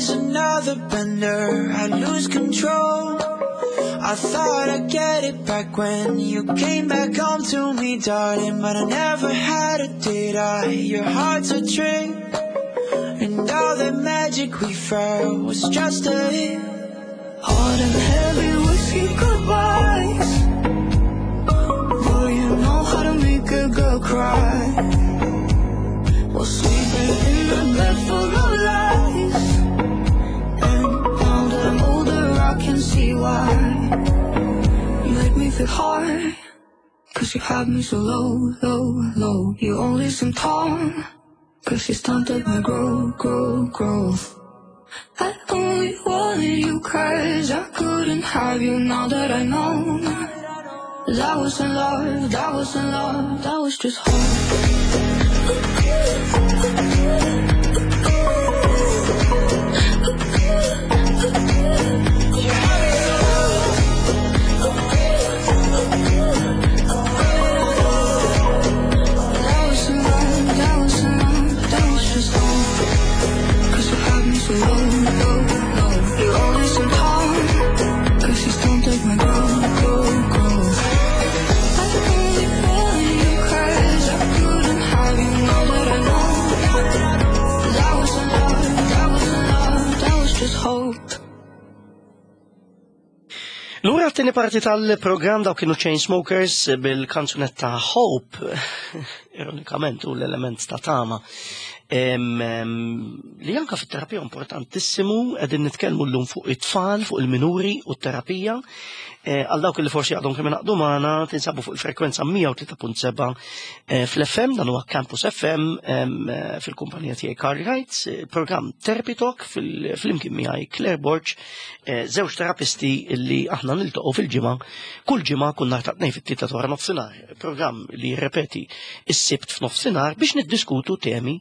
Another bender, I lose control. I thought I'd get it back when you came back home to me, darling, but I never had it, did I? Your heart's a trick, and all the magic we felt was just a hit. Hot and heavy whiskey goodbyes. Boy, you know how to make a girl cry. While sleeping in a bed full of lies. And now that I'm older, I can see why. You made me feel hard, cause you had me so low, low, low. You only seem tall, cause you stunted my grow, grow, growth. I only wanted you cause I couldn't have you. Now that I know that wasn't love, that wasn't love, that was just hope. That wasn't love, that wasn't love, that was just hope. Cause you had me so low, low, low. You only seem tall, Lura t-tieni parti tal-programm, daw kienu Chainsmokers bil-kanzunetta Hope, ironikament u l-element ta' tama. Em, em, li anka fit-terapija importantissimu, qegħdin nitkellmu llum fuq it-tfal, fuq il-minuri u t-terapija. Eh, Għal dawk li forsi għadhom kemm ingħaqdu magħna, tinsabu fuq il-frekwenza mija u tlieta punt seba' eh, fl-F M, dan huwa Campus F M em, eh, fil-kumpanija tiegħi Carl Wright, eh, programm Therapy Talk fil-flimkien miegħi Claire Borg, eh, żewġ terapisti li aħna niltaqgħu fil-ġimgħa, kull ġimgħa kull nhar ta' Tnejn fit-tlieta wara nofsinhar, programm li jirrepeti is-Sibt f'nofsinhar biex niddiskutu temi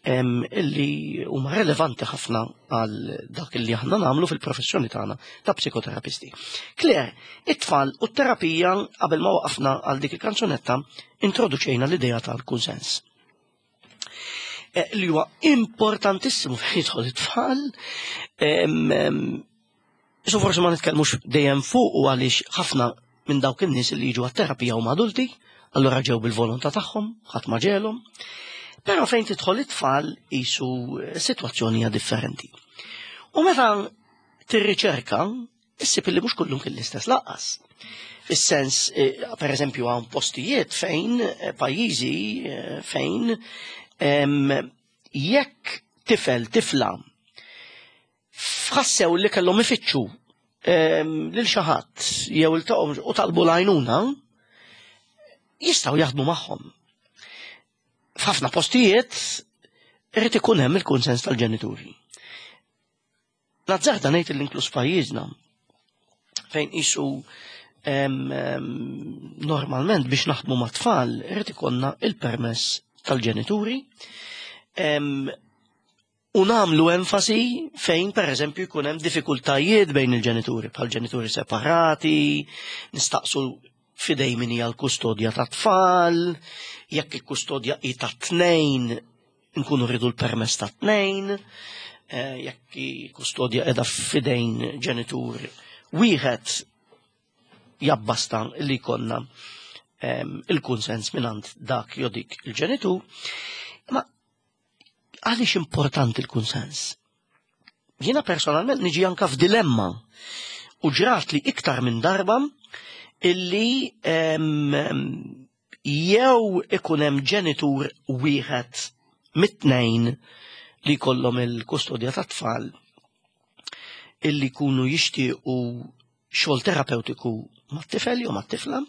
em, illi huma relevanti ħafna għal dak illi aħna nagħmlu fil-professjoni tagħna ta' psikoterapisti. Claire, it-tfal u t-terapija, qabel ma waqafna għal dik il-kanzunetta, introduċejna l-idea tal-kunsens. Eh, li huwa importantissimu fejn jidħol it-tfal. Em, em, So forsi ma nitkellmux dejjem fuq u għaliex ħafna minn dawk in-nies li jiġu għat-terapija huma adulti, allura ġew bil-volontà tagħhom, ħadd ma ġegħelhom. Però fejn tidħol it-tfal qisu sitwazzjoni hija differenti. U meta tirriċerka, issib li mhux kullum kien l-istess lanqas. Fis-sens, eh, per eżempju, hawn postijiet fejn, eh, pajjiżi eh, fejn em, jekk tifel, tifla, ħassew li kellhom ifittxu em, lil xi ħadd jew iltaqgħu u talbu l-għajnuna, jistgħu jaħdmu magħhom. F'ħafna postijiet irid ikun hemm il-kunsens tal-ġenituri. Nazzarda ngħid l-inklus pajjiżna fejn qisu em, em, normalment biex naħdmu ma' tfal irid ikollna il-permess tal-ġenituri em, u nagħmlu enfasi fejn per eżempju jkun hemm diffikultajiet bejn il-ġenituri, bħal ġenituri separati, nistaqsu f'idejn min hija l-kustodja ta' tfal, jekk il-kustodja hi ta' tnejn, nkunu rridu l-permess ta' tnejn, eh, jekk il-kustodja qiegħda f'idejn ġenitur wieħed, jabbasta li jkollna em, il-kunsens mingħand dak jew dik il-ġenitur. Ma għaliex importanti il-kunsens? Jiena personalment niġi anka f'dilemma u ġrat li iktar minn darba illi em, em, jew ikun hemm ġenitur wieħed mit-tnejn li jkollhom il-kustodja tat-tfal illi jkunu jixtiequ xogħol terapeutiku mat-tifel jew mat-tifla.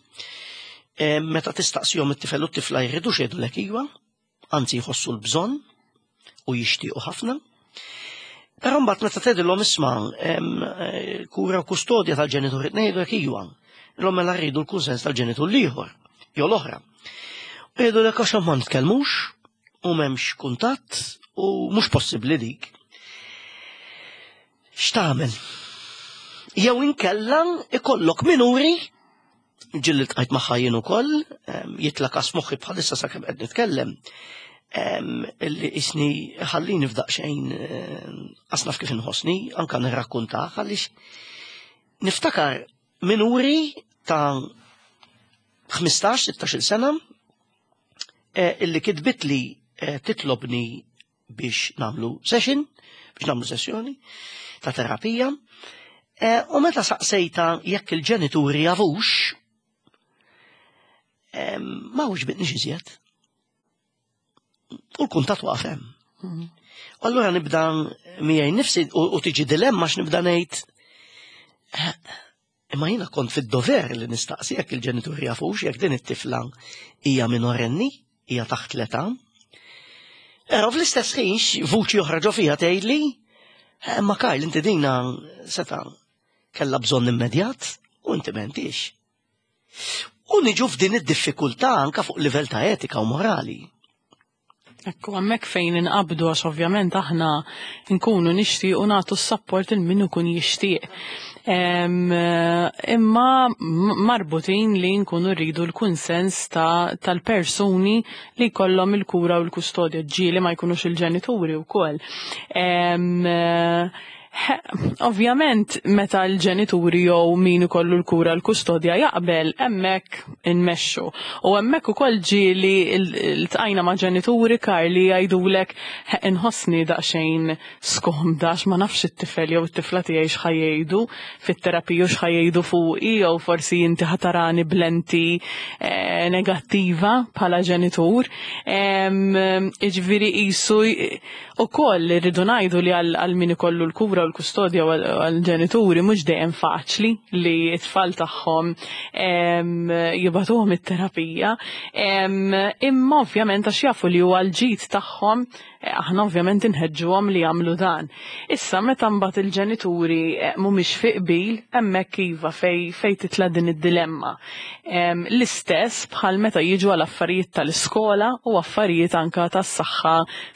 Em, Meta tistaqsihom it-tifel u t-tifla jridu jgħidulek iva, anzi jħossu l-bżonn u jixtiequ ħafna. Però mbagħad meta tgħidilhom, isma', em, eh, kura u kustodja tal-ġenitur tnejn, jgħidulek iva. Illum mela rridu l-kunsens tal-ġenitur l-ieħor jew l-oħra. U jgħidulek għax ma nitkellmux u m'hemmx kuntatt u mhux possibbli dik. X'tagħmel? Jew inkella ikollok minuri ġieli ltqajt magħha jien ukoll, em, jitla' każ moħħi bħalissa sakemm qed nitkellem, em, illi isni ħallini f'daqsxejn em, asnaf kif inħossni, anka nirrakkuntah għaliex niftakar minuri ta' ħmistax sittax-il sena eh, illi kitbit li eh, titlobni biex nagħmlu session, biex nagħmlu sessjoni ta' terapija. Eh, U meta saqsejta jekk il-ġenituri jafux, em, ma weġbitnix iżjed. U l-kuntat waqaf hemm. U allura nibda miegħi nifsi u u tiġi dilemma x'nibda ngħid, eh, imma jiena kont fid-dover li nistaqsi jekk il-ġenituri jafux jekk din it-tifla hija minorenni, hija taħt l-età. Però fl-istess ħin x- vuċi oħra ġo fija tgħidli, "Eh, ma Karl, inti dina seta' kellha bżonn immedjat u inti m'għentix." U niġu f'din id-diffikultà anka fuq livell ta' etika u morali. Ekku, hemmhekk fejn inqabdu għax ovvjament aħna nkunu nixtiequ nagħtu s-support il min ikun jixtieq. Em, Imma m- marbutin li nkunu rridu l-kunsens ta' tal-persuni li jkollhom il-kura u l-kustodja, ġieli ma jkunux il-ġenituri wkoll. Em, Ovvjament, meta l-ġenituri jew min ikollu l-kura, l-kustodja jaqbel, hemmhekk inmexxu. U hemmhekk ukoll ġieli ltqajna ma' ġenituri, Karli, jgħidulek, "Inħossni daqsxejn skomda għax ma nafx it-tifel jew it-tifla tiegħi x'ħa jgħidu fit-terapija u x'ħa jgħidu fuqi, jew forsi inti ħa tarani b'lenti eh, negattiva bħala ġenitur." Jiġifieri qisu ukoll irridu ngħidu li għal min ikollu l-kura u l-kustodja u għal-ġenituri mhux dejjem faċli li t-tfal tagħhom jibagħtuhom it-terapija. Imma ovvjament għax jafu li huwa l-ġid tagħhom, aħna ovvjament inħeġġuhom li jagħmlu dan. Issa meta mbagħad il-ġenituri eh, mhumiex fi qbil, hemmhekk iva fej fej titla' din id-dilemma. L-istess bħal meta jiġu għal affarijiet tal-iskola u affarijiet anka tas-saħħa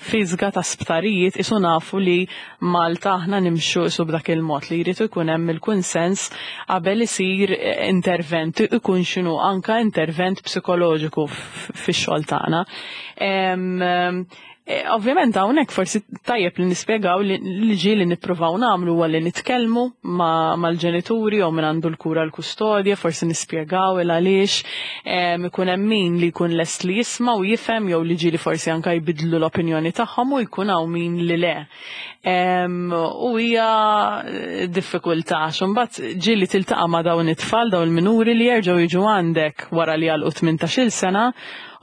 fiżika, ta' sptarijiet, isu nafu li Malta aħna nimxu isu b'dak il-mod li jrid ikun hemm il-kunsens qabel isir eh, intervent, ikun x'inhu, anka intervent psikoloġiku fix-xogħol tagħna. Eh, ovvjament hawnhekk forsi tajjeb li nispjegaw li ġieli nippruvaw nagħmlu huwa li nitkellmu mal-ġenituri jew minn għandu l-kura, l-kustodja, forsi nispjegaw il għaliex ikun hemm min li jkun lest li jisma' u jifhem jew li ġieli forsi anka jbidlu l-opinjoni tagħhom u jkun hawn min li le. U hija diffikultà għax imbagħad ġieli tiltaqa' ma' dawn it-tfal, dawn il-minuri li jerġgħu jiġu għandek wara li għalqu tmintax-il sena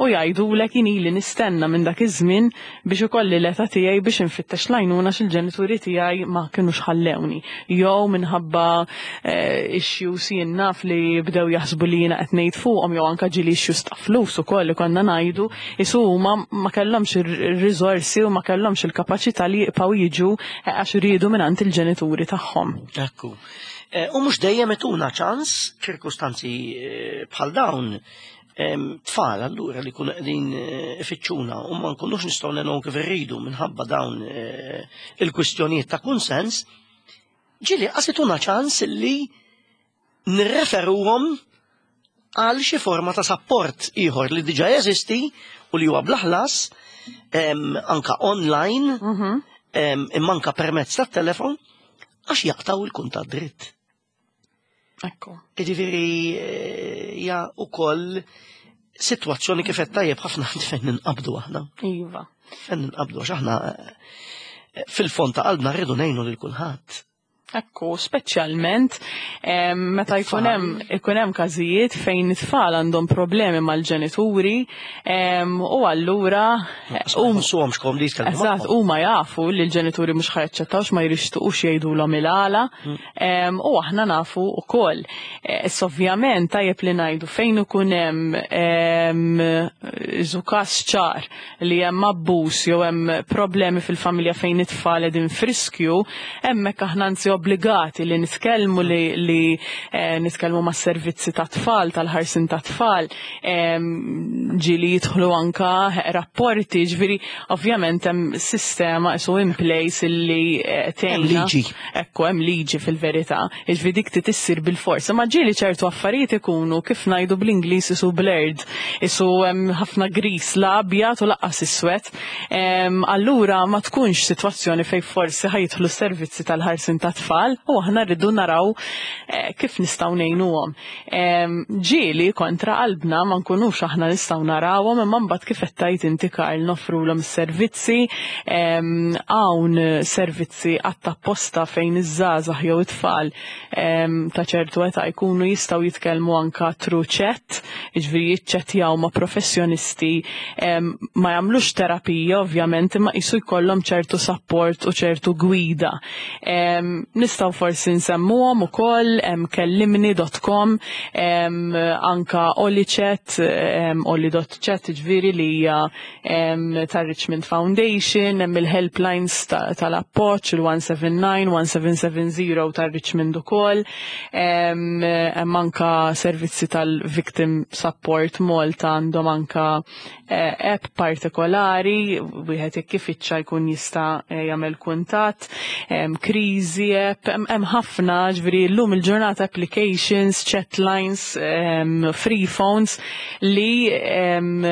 u jgħidulek, "Jien ili nistenna minn dak iż-żmien biex ikolli l-età tiegħi biex infittex l-għajnuna, x'il-ġenituri tiegħi ma kinux ħallewni." Jew minħabba eh, issues, jien naf, li bdew jaħsbu li jiena qed ngħid fuqhom, jew anke ġieli issues ta' flus ukoll li konna ngħidu isu huma ma kellhomx ir-riżorsi u ma kellhomx il-kapaċità li jibqgħu jiġu eh, għax riedu mingħand il-ġenituri tagħhom. Ekku. Eh, u mhux dejjem ituna ċans ċirkustanzi bħal dawn, tfal allura li kunu qegħdin eh, ifittxuna u ma nkunux nistgħu ngħinuhom kif irridu minħabba dawn eh, il-kwistjonijiet ta' kunsens, ġieli qas ituna ċans li nirreferuhom għal xi forma ta' support ieħor li diġà jeżisti u li huwa bla ħlas anka online, mhm. imma anka permezz tat-telefon, għax jaqtaw il-kuntatt dritt. Ekku. Jiġifieri eh, hija ukoll sitwazzjoni, kif qed tajjeb ħafna, fejn ninqabdu aħna. Iva. Fejn ninqabdu għax aħna eh, fil-fond ta' qalbna rridu ngħinu lil kulħadd. Ekku, speċjalment meta jkun hemm ikun hemm każijiet fejn it-tfal għandhom problemi mal-ġenituri u allura Hum komdi jitkellmu. Eżatt, huma jafu li l-ġenituri mhux ħa jaċċettawx, ma jixtiqux jgħidulhom il-għala mm. u aħna nafu wkoll. E, issa ovvjament tajjeb li ngħidu fejn ikun hemm każ ċar li hemm abbuż jew hemm problemi fil-familja fejn it-tfal qegħdin f'riskju, hemmhekk aħna anzi obbligati li nitkellmu li, li eh, nitkellmu ma' servizzi ta' tfal, tal-ħarsin ta' tfal, ġieli jidħlu anka rapporti, ġifieri ovvjament hemm sistema isu in place illi eh, tgħinna. Liġi. Ekku, hemm liġi fil-verità, ġifieri dik tissir bil-forsa. Ma ġieli ċertu affarijiet ikunu, kif ngħidu bl-Ingliż, isu blurred, isu hemm ħafna gris, la abjad u lanqas iswed. Allura ma tkunx sitwazzjoni fej forsi ħa jidħlu servizzi tal-ħarsin ta' tfal u aħna rridu naraw eh, kif nistgħu ngħinuhom. Ġieli kontra qalbna ma nkunux aħna nistgħu narawhom, imma mbagħad, kif qed tgħid inti, Karl, nofrulhom is-servizzi, hawn servizzi apposta fejn iż-żgħażagħ jew it-tfal ta' ċertu età jkunu jistgħu jitkellmu anka through chat, jiġifieri jiċċettjaw ma' professjonisti, ma jagħmlux terapija ovvjament, imma jisu jkollhom ċertu support u ċertu gwida. Nistgħu forsi nsemmuhom ukoll, hemm kellimni punt com, anka OliChat, oli punt chat, ġifieri li hija tar Richmond Foundation, hemm il-helplines tal-appoġġ, il-one seven nine, one seven seven zero tar Richmond ukoll, hemm anka servizzi tal-Victim Support Malta, għandhom anka eh, app partikolari, wieħed jekk ifittxa jkun jista' eh, jagħmel kuntatt, kriżi. WhatsApp, hemm ħafna, ġifieri llum il-ġurnata applications, chat lines, um, free phones li um,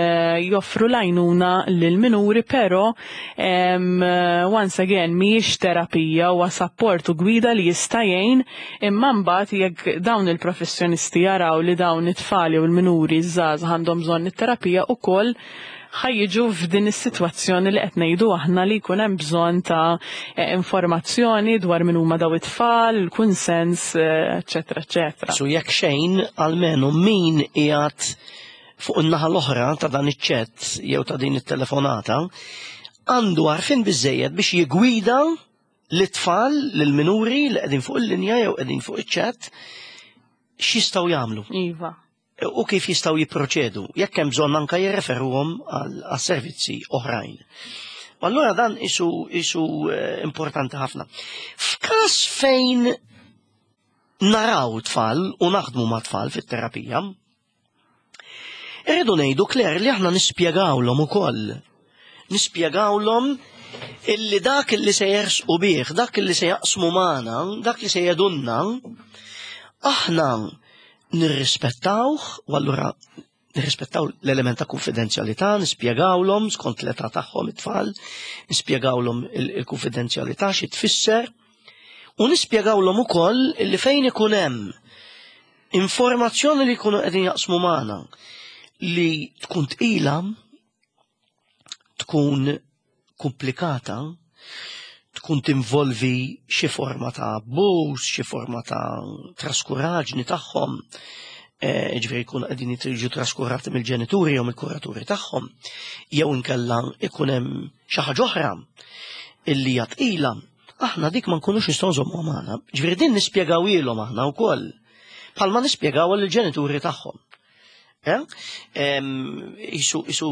joffru l-għajnuna lil-minuri, pero um, once again mhijiex terapija, huwa support u gwida li jista' jgħin, imma mbagħad jekk dawn il-professjonisti jaraw li dawn it-tfal u l-minuri żgħażagħ għandhom bżonn it-terapija ukoll, ħa jiġu f'din is-sitwazzjoni li qed ngħidu aħna li jkun hemm bżonn ta' eh, informazzjoni dwar min huma daw it-tfal, il-kunsens, eċetera, eċetera. So jekk xejn, almenu min qiegħed fuq in-naħa l-oħra ta' dan iċ-chat jew ta' din it-telefonata għandu għarfien biżejjed biex jigwida l-tfal, l-minuri li qegħdin fuq il-linja jew qegħdin fuq iċ-chat x'jistgħu jagħmlu. Iva. U kif jistgħu jipproċedu, jekk hemm bżonn anke jirreferuhom għal servizzi oħrajn. U allura dan isu, isu eh, importanti ħafna. F'każ fejn naraw tfal u naħdmu ma' tfal fit-terapija, irridu ngħidu, Claire, li aħna nispjegawlhom ukoll. Nispjegawlhom illi dak illi se jersqu bih, dak illi se jaqsmu magħna, dak li se jgħidulna, aħna nirrispettawh, u allura nirrispettaw l-element ta' konfidenzjalità, nispjegawlhom skont l-età tagħhom it-tfal, nispjegawlhom il-konfidenzjalità xi tfisser, u nispjegawlhom ukoll li fejn ikun hemm informazzjoni li jkunu qegħdin jaqsmu magħna li tkun tqila, tkun komplikata, tkun tinvolvi xi forma ta' abbuż, xi forma ta' traskuraġni tagħhom, eh, ġifieri jkun qegħdin jiġu traskurati mill-ġenituri jew mill-kuraturi tagħhom, jew inkella ikun hemm xi ħaġa oħra illi hija tqila, aħna dik ma nkunux nistgħu nżommuha magħna. Ġifieri din nispjegawilhom aħna wkoll, bħalma nispjegaw lill-ġenituri tagħhom. Eh? Isu, isu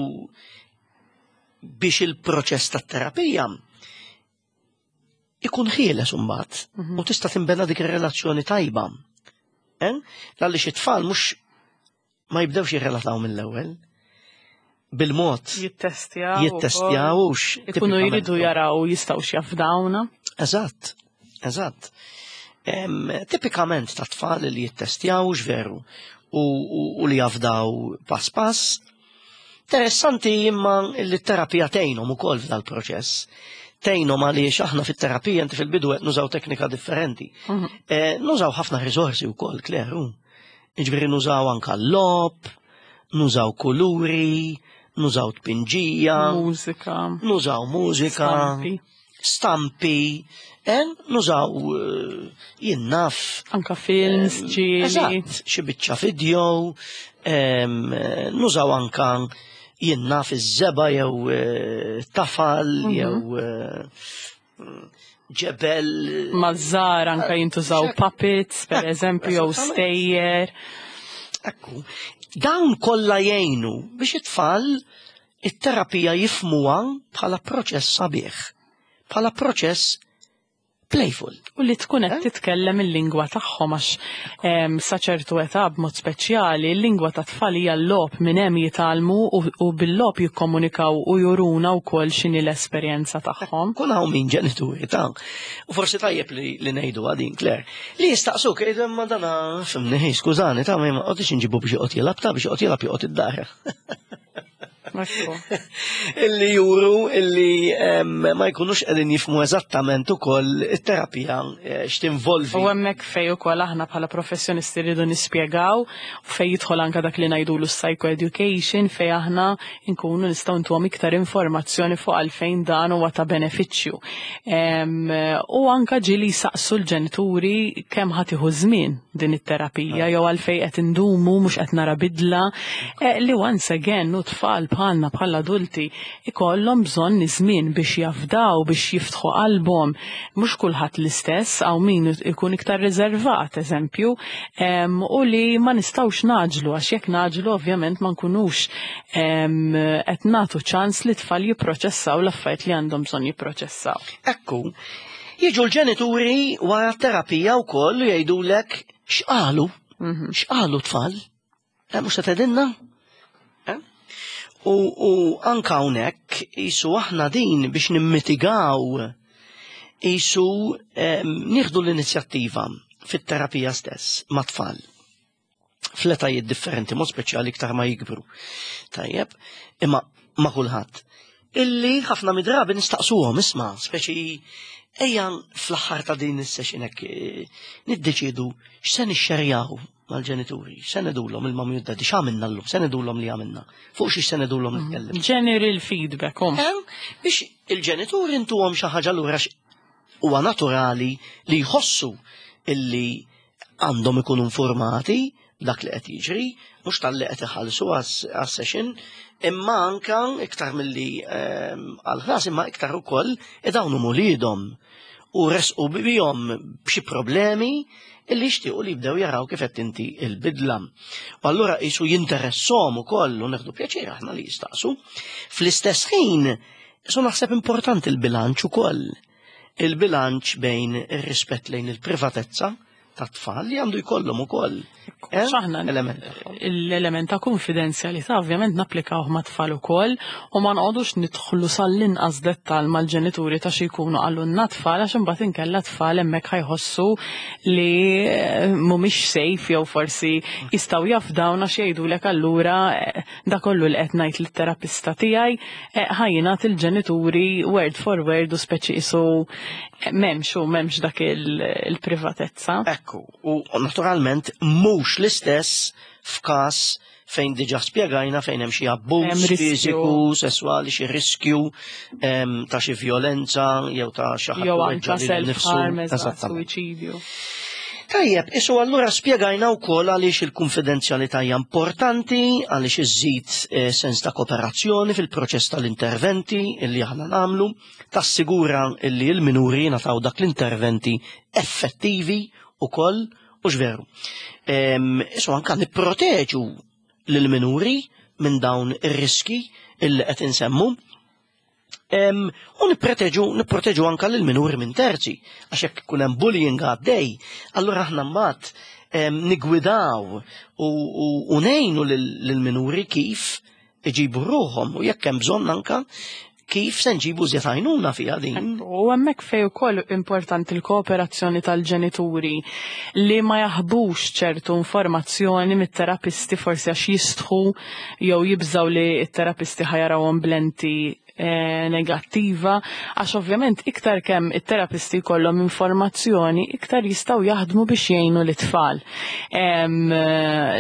biex il-proċess tat-terapija ikun ħieles imbagħad Mhm. u tista' tinbena dik ir-relazzjoni tajba. Eh? Għaliex it-tfal mhux ma jibdewx jirrelataw mill-ewwel. Bil-mod Jittestjaw. Jittestjawux. Ikunu jridu jaraw jistgħux jafdawna. Eżatt, eżatt. Em, Tipikament ta' tfal li jittestjawux veru u, u, u li jafdaw pass pass. Interessanti imma li t-terapija tgħinhom ukoll f'dal-proċess. Tgħinhom għaliex aħna fit-terapija inti fil-bidu qed nużaw teknika differenti. Mhm. Eh, nużaw ħafna riżorsi wkoll, Claire. Jiġifieri nużaw anka l-logħob, nużaw kuluri, nużaw tpinġija, Mużika. Nużaw mużika, Stampi. Stampi, eh, nużaw eh, jien naf. Anka films, ġieli. Eżatt, xi biċċa video, em, eh, nużaw anka jien naf iż-żebgħa jew eh, tafal Mhm. jew eh, ġebel. Maż-żgħar anka jintużaw puppets, per eżempju, jew Eżattament. stejjer. Ekku, dawn kollha jgħinu biex it-tfal it-terapija jifmuha bħala proċess sabiħ, bħala proċess playful. U li tkun qed titkellem il-lingwa tagħhom għax em, sa ċertu età b'mod speċjali il-lingwa ta' tfal hija l-logħob, minn hemm jitgħallmu u, u bil-logħob jikkomunikaw u juruna wkoll x'inhi l-esperjenza tagħhom. Kun hawn min ġenituri ta' u forsi tajjeb li, li ngħidu għadin, Claire, li jistaqsuk jgħidu imma dana fimni, skużani, ta' ma qgħodix inġibu biex joqgħod jilgħab, ta' biex joqgħod jilgħab joqgħod id-dar. Ekku. Illi juru illi em, ma jkunux qegħdin jifmu eżattament ukoll it-terapija eh, x'tinvolvi. U hemmhekk fej ukoll aħna bħala professjonisti rridu nispjegaw u fej jidħol anka dak li ngħidulu psychoeducation, fej aħna nkunu nistgħu ntuhom iktar informazzjoni fuq għalfejn dan huwa ta' benefiċċju. Em, U anka ġieli saqsu l-ġenituri kemm ħa tieħu żmien din it-terapija jew għalfejn qed indumu, mhux qed nara bidla, eh, li once again u tfal bħalna bħala adulti ikollhom bżonn żmien biex jafdaw, biex jiftħu qalbhom. Mhux kulħadd l-istess, hawn min ikun iktar riservat, eżempju, em, u li ma nistgħux ngħaġġlu, għax jekk ngħaġġlu ovvjament ma nkunux em, qed nagħtu ċans li tfal jipproċessaw l-affarijiet li għandhom bżonn jipproċessaw. Ekku, jiġu l-ġenituri wara t-terapija wkoll u jgħidulek x'qalu, x'qalu tfal? Eh, mhux se tgħidilna? Eh? U, u anka hawnhekk jisu aħna din biex nimmitigaw Isu nieħdu l-inizjattiva fit-terapija stess ma' tfal fl-etajiet differenti, mod speċjali iktar ma jikbru. Tajjeb, imma ma' kulħadd. Illi ħafna mid-drabi nistaqsuhom, isma', speċi ejja fl-aħħar ta' din is-session hekk eh, niddeċiedu x'se nixxerjaw mal-ġenituri, x'se ngħidulhom il-mummy u d-daddy, x'għamilna llum, se ngħidulhom li għamilna, fuq xiex se ngħidulhom nitkellem. General feedback, um. Biex il-ġenituri ntuhom xi ħaġa lura, huwa naturali li jħossu illi għandhom ikunu informati dak li qed jiġri, mhux talli qed iħallsu għas-session, imma anka iktar milli ehm, għal-ħlas, imma iktar ukoll dawn uliedhom u resqu bihom b'xi problemi illi jixtiequ li jibdew jaraw kif qed inti il-bidla. U allura qisu jinteressom ukoll u neħdu pjaċir aħna li jistaqsu. Fl-istess ħin, so naħseb importanti il-bilanċ ukoll. Il-bilanċ bejn ir-rispett lejn il-privatezza ta' tfal li għandu jkollhom ukoll. Eh? X'aħna l-element ta' konfidenzjalità ovvjament napplikaw ma' tfal ukoll u ma nqogħdux nidħlu sal-inqas dettal mal-ġenituri ta' xi jkunu qalulna tfal, għax imbagħad inkella tfal hemmhekk ħa jħossu li eh, mhumiex safe jew forsi jistgħu jafdawna għax jgħidulek allura eh, da kollu li qed ngħid lit-terapista tiegħi ħa jingħad il-ġenituri word for word u speċi qisu m'hemmx u m'hemmx dak il-privatezza. Ekku, u naturalment mhux l-istess f'każ fejn diġà spjegajna fejn hemm xi abbuż fiżiku, sesswali, xi riskju ta' xi violenza jew ta' xi ħadd jew anke self-harm, suwiċidju. Tajjeb, isu allura spjegajna wkoll għaliex il-konfidenzjalità hija importanti, għaliex iżżid eh, sens ta' kooperazzjoni fil-proċess tal-interventi illi aħna nagħmlu, tassigura illi l-minuri ngħataw dak l-interventi effettivi ukoll u veru. Isu anka nipproteġu lill-minuri minn dawn ir-riski illi qed insemmu. U nipproteġu nipproteġu anka lill-minuri minn terzi, għax jekk ikun hemm bullying għaddej, allura aħna mbagħad nigwidaw u ngħinu lill-minuri kif iġibu ruħhom u jekk hemm bżonn anka kif se nġibu żjed għajnuna fiha din. U hemmhekk fej ukoll importanti l-kooperazzjoni tal-ġenituri li ma jaħbux ċertu informazzjoni mit-terapisti, forsi għax jistħu jew jibżaw li t-terapisti ħa jarawhom b'lenti eh, negattiva, għax ovvjament iktar kemm it-terapisti jkollhom informazzjoni, iktar jistgħu jaħdmu biex jgħinu l-tfal.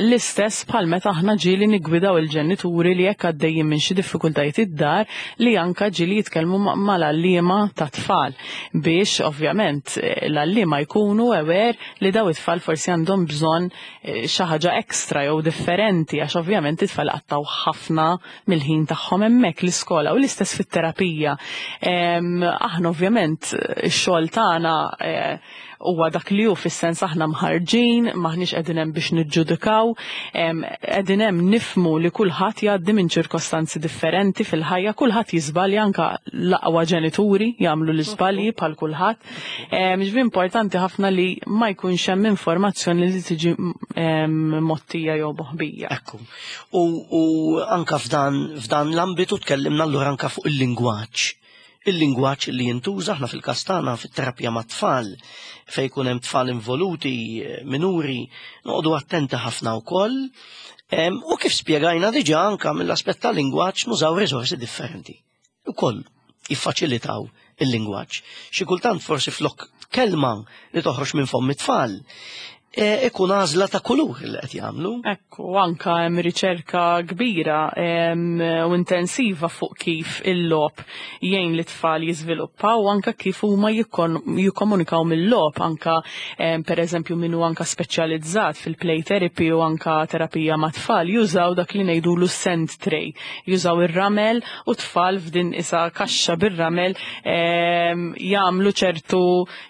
L-istess bħal meta aħna ġieli nigwidaw il-ġenituri li jekk għaddejjin minn xi diffikultajiet id-dar li anka ġieli jitkellmu mal-għalliema ta' tfal biex ovvjament eh, l-għalliema jkunu aware li daw it-tfal forsi għandhom bżonn eh, xi ħaġa ekstra jew differenti, għax ovvjament it-tfal qattgħu ħafna mill-ħin tagħhom hemmhekk l-iskola, u l-istess fit-terapija. Aħna ovvjament ix-xogħol tagħna eh, huwa dak li hu, fis-sens aħna mħarġin, maħniex qegħdin hemm biex niġġudikaw, qegħdin hemm nifmu li kulħadd jgħaddi minn ċirkostanzi differenti fil-ħajja, kulħadd jiżbalja, anka l-aqwa ġenituri jagħmlu l-iżbalji bħal kulħadd. Ġifieri importanti ħafna li ma jkunx hemm informazzjoni li tiġi mgħottija jew moħbija. Ekku. U, u anka f'dan f'dan l-ambitu tkellimna allura anka fuq il-lingwaġġ il-lingwaġġ li jintuża aħna fil-każ tagħna fit-terapija ma' tfal fejn jkun hemm tfal involuti, minuri, noqogħdu attenti ħafna wkoll. U kif spjegajna diġà, anka mill-aspett tal-lingwaġġ nużaw riżorsi differenti. Ukoll jiffaċilitaw il-lingwaġġ. Xi kultant forsi flok kelma li toħroġ minn fomm it-tfal, e, ikun għażla ta' kulur li qed jagħmlu. Ekku, anka hemm riċerka kbira u intensiva fuq kif il-logħob jgħin li tfal jiżviluppaw u anka kif huma jikkomunikaw mill-logħob, anka per eżempju min hu anka speċjalizzat fil-play therapy u anka terapija ma' tfal jużaw dak li ngħidulu sand tray, jużaw ir-ramel u tfal f'din isa kaxxa bir-ramel jagħmlu ċertu,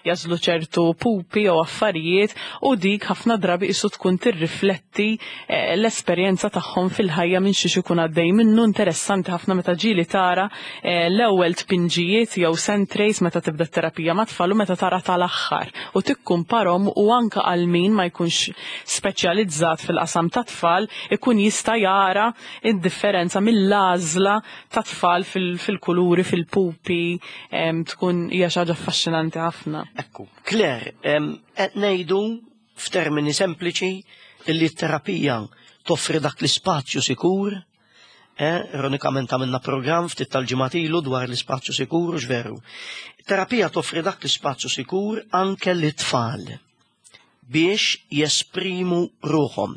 jażlu ċertu pupi jew affarijiet u dik dik ħafna drabi isu tkun tirrifletti eh, l-esperjenza tagħhom fil-ħajja minn xiex ikun għaddej minnu. Interessanti ħafna meta ġieli tara eh, l-ewwel tpinġijiet jew sand trays meta tibda terapija ma' tfal u meta tara tal-aħħar u tikkumparhom, u anka għal min ma jkunx speċjalizzat fil-qasam ta' tfal ikun jista' jara id-differenza mill-għażla ta' tfal fil-kuluri, fil-pupi, tkun hija xi ħaġa affaxxinanti ħafna. Ekku, Claire, qed ngħidu f'termini sempliċi illi t-terapija toffri dak l-ispazju sikur, eh, ironikament għamilna program ftit tal-ġimgħat ilu dwar l-ispazju sikur, u veru. Terapija toffri dak l-ispazju sikur anke l-tfal biex jesprimu ruħhom,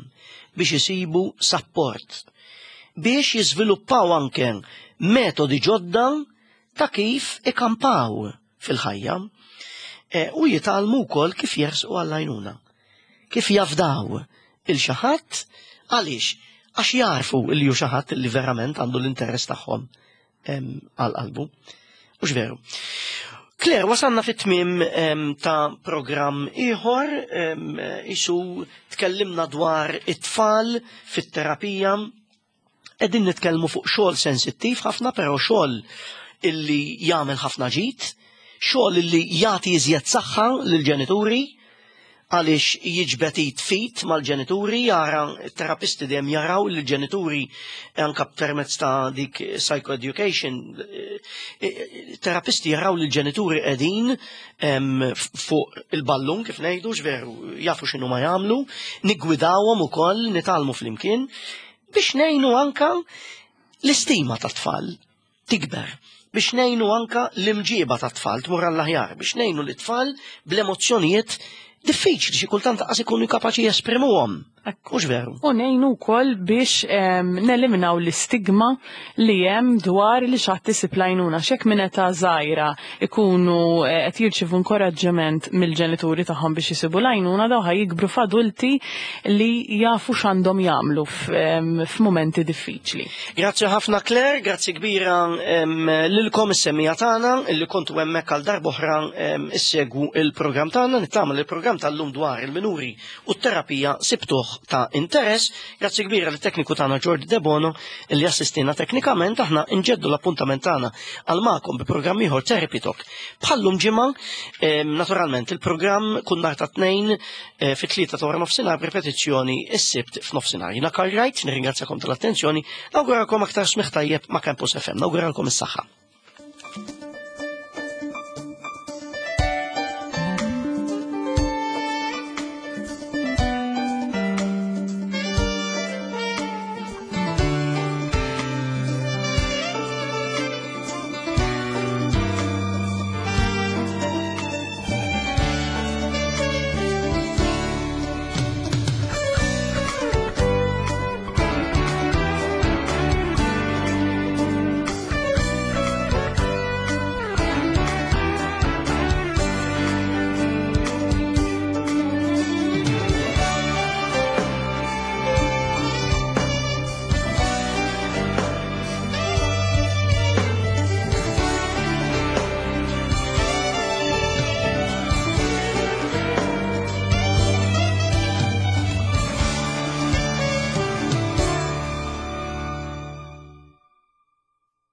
biex jisibu support, biex jiżviluppaw anke metodi ġodda ta' kif ikampaw fil-ħajja e, u jitgħallmu wkoll kif jersqu għall-għajnuna, kif jafdaw lil xi ħadd. Għaliex? Għax jarfu li hu xi ħadd li verament għandu l-interess tagħhom għal qalbu. Mhux veru? Claire, wasanna fit-tmim ta' program ieħor, isu tkellimna dwar it-tfal fit-terapija, qegħdin nitkellmu fuq xogħol sensittiv ħafna, però xogħol illi jagħmel ħafna ġid, xogħol illi jagħti iżjed saħħa lill-ġenituri, għaliex jiġbed fit mal-ġenituri, jara terapisti dejjem jaraw li l-ġenituri anka permezz ta' dik psychoeducation, terapisti jaraw li l-ġenituri qegħdin fuq il-ballun, kif ngħidu, veru, jafu x'inhu ma jagħmlu, niggwidawhom ukoll, nitgħallmu flimkien biex ngħinu anka l-istima ta' tfal tikber, biex ngħinu anka l-imġiba ta' tfal tmur għall-aħjar, biex ngħinu l-tfal bl-emozzjonijiet diffiċli xi kultant qas ikunu kapaċi jesprimuhom. Mhux veru? U ngħinu wkoll biex neliminaw l-istigma li hemm dwar li xi ħadd isib l-għajnuna. Xek minn età żgħira ikunu eh, qed jirċievu inkoraġġiment mill-ġenituri tagħhom biex jisibu l-għajnuna, daw ħa jikbru f'adulti li jafu x'għandhom jagħmlu f'mumenti diffiċli. Grazzi ħafna, Claire, grazzi kbira lilkom is-semmiegħa tagħna illi kontu hemmhekk għal darb'oħra issegwu il-programm tagħna. Nittama li il-programm tal-lum dwar il-minuri u t-terapija sibtuh ta' interess. Grazzi kbira lit-tekniku tagħna Jordi Debono li assistina teknikament. Aħna nġeddu l-appuntament tagħna għal magħkom bi programm ieħor Therapy Talk. Bħallum ġimgħa, naturalment il-programm kull nhar ta' Tnejn eh, fit-tlieta ta' wara nofsinhar, b'ripetizzjoni is-Sibt f'nofsinhar. Jiena Karl Wright, nirringrazzjakom tal-attenzjoni, nawguralkom aktar smigħ tajjeb ma' Campus F M, nawguralkom is-saħħa.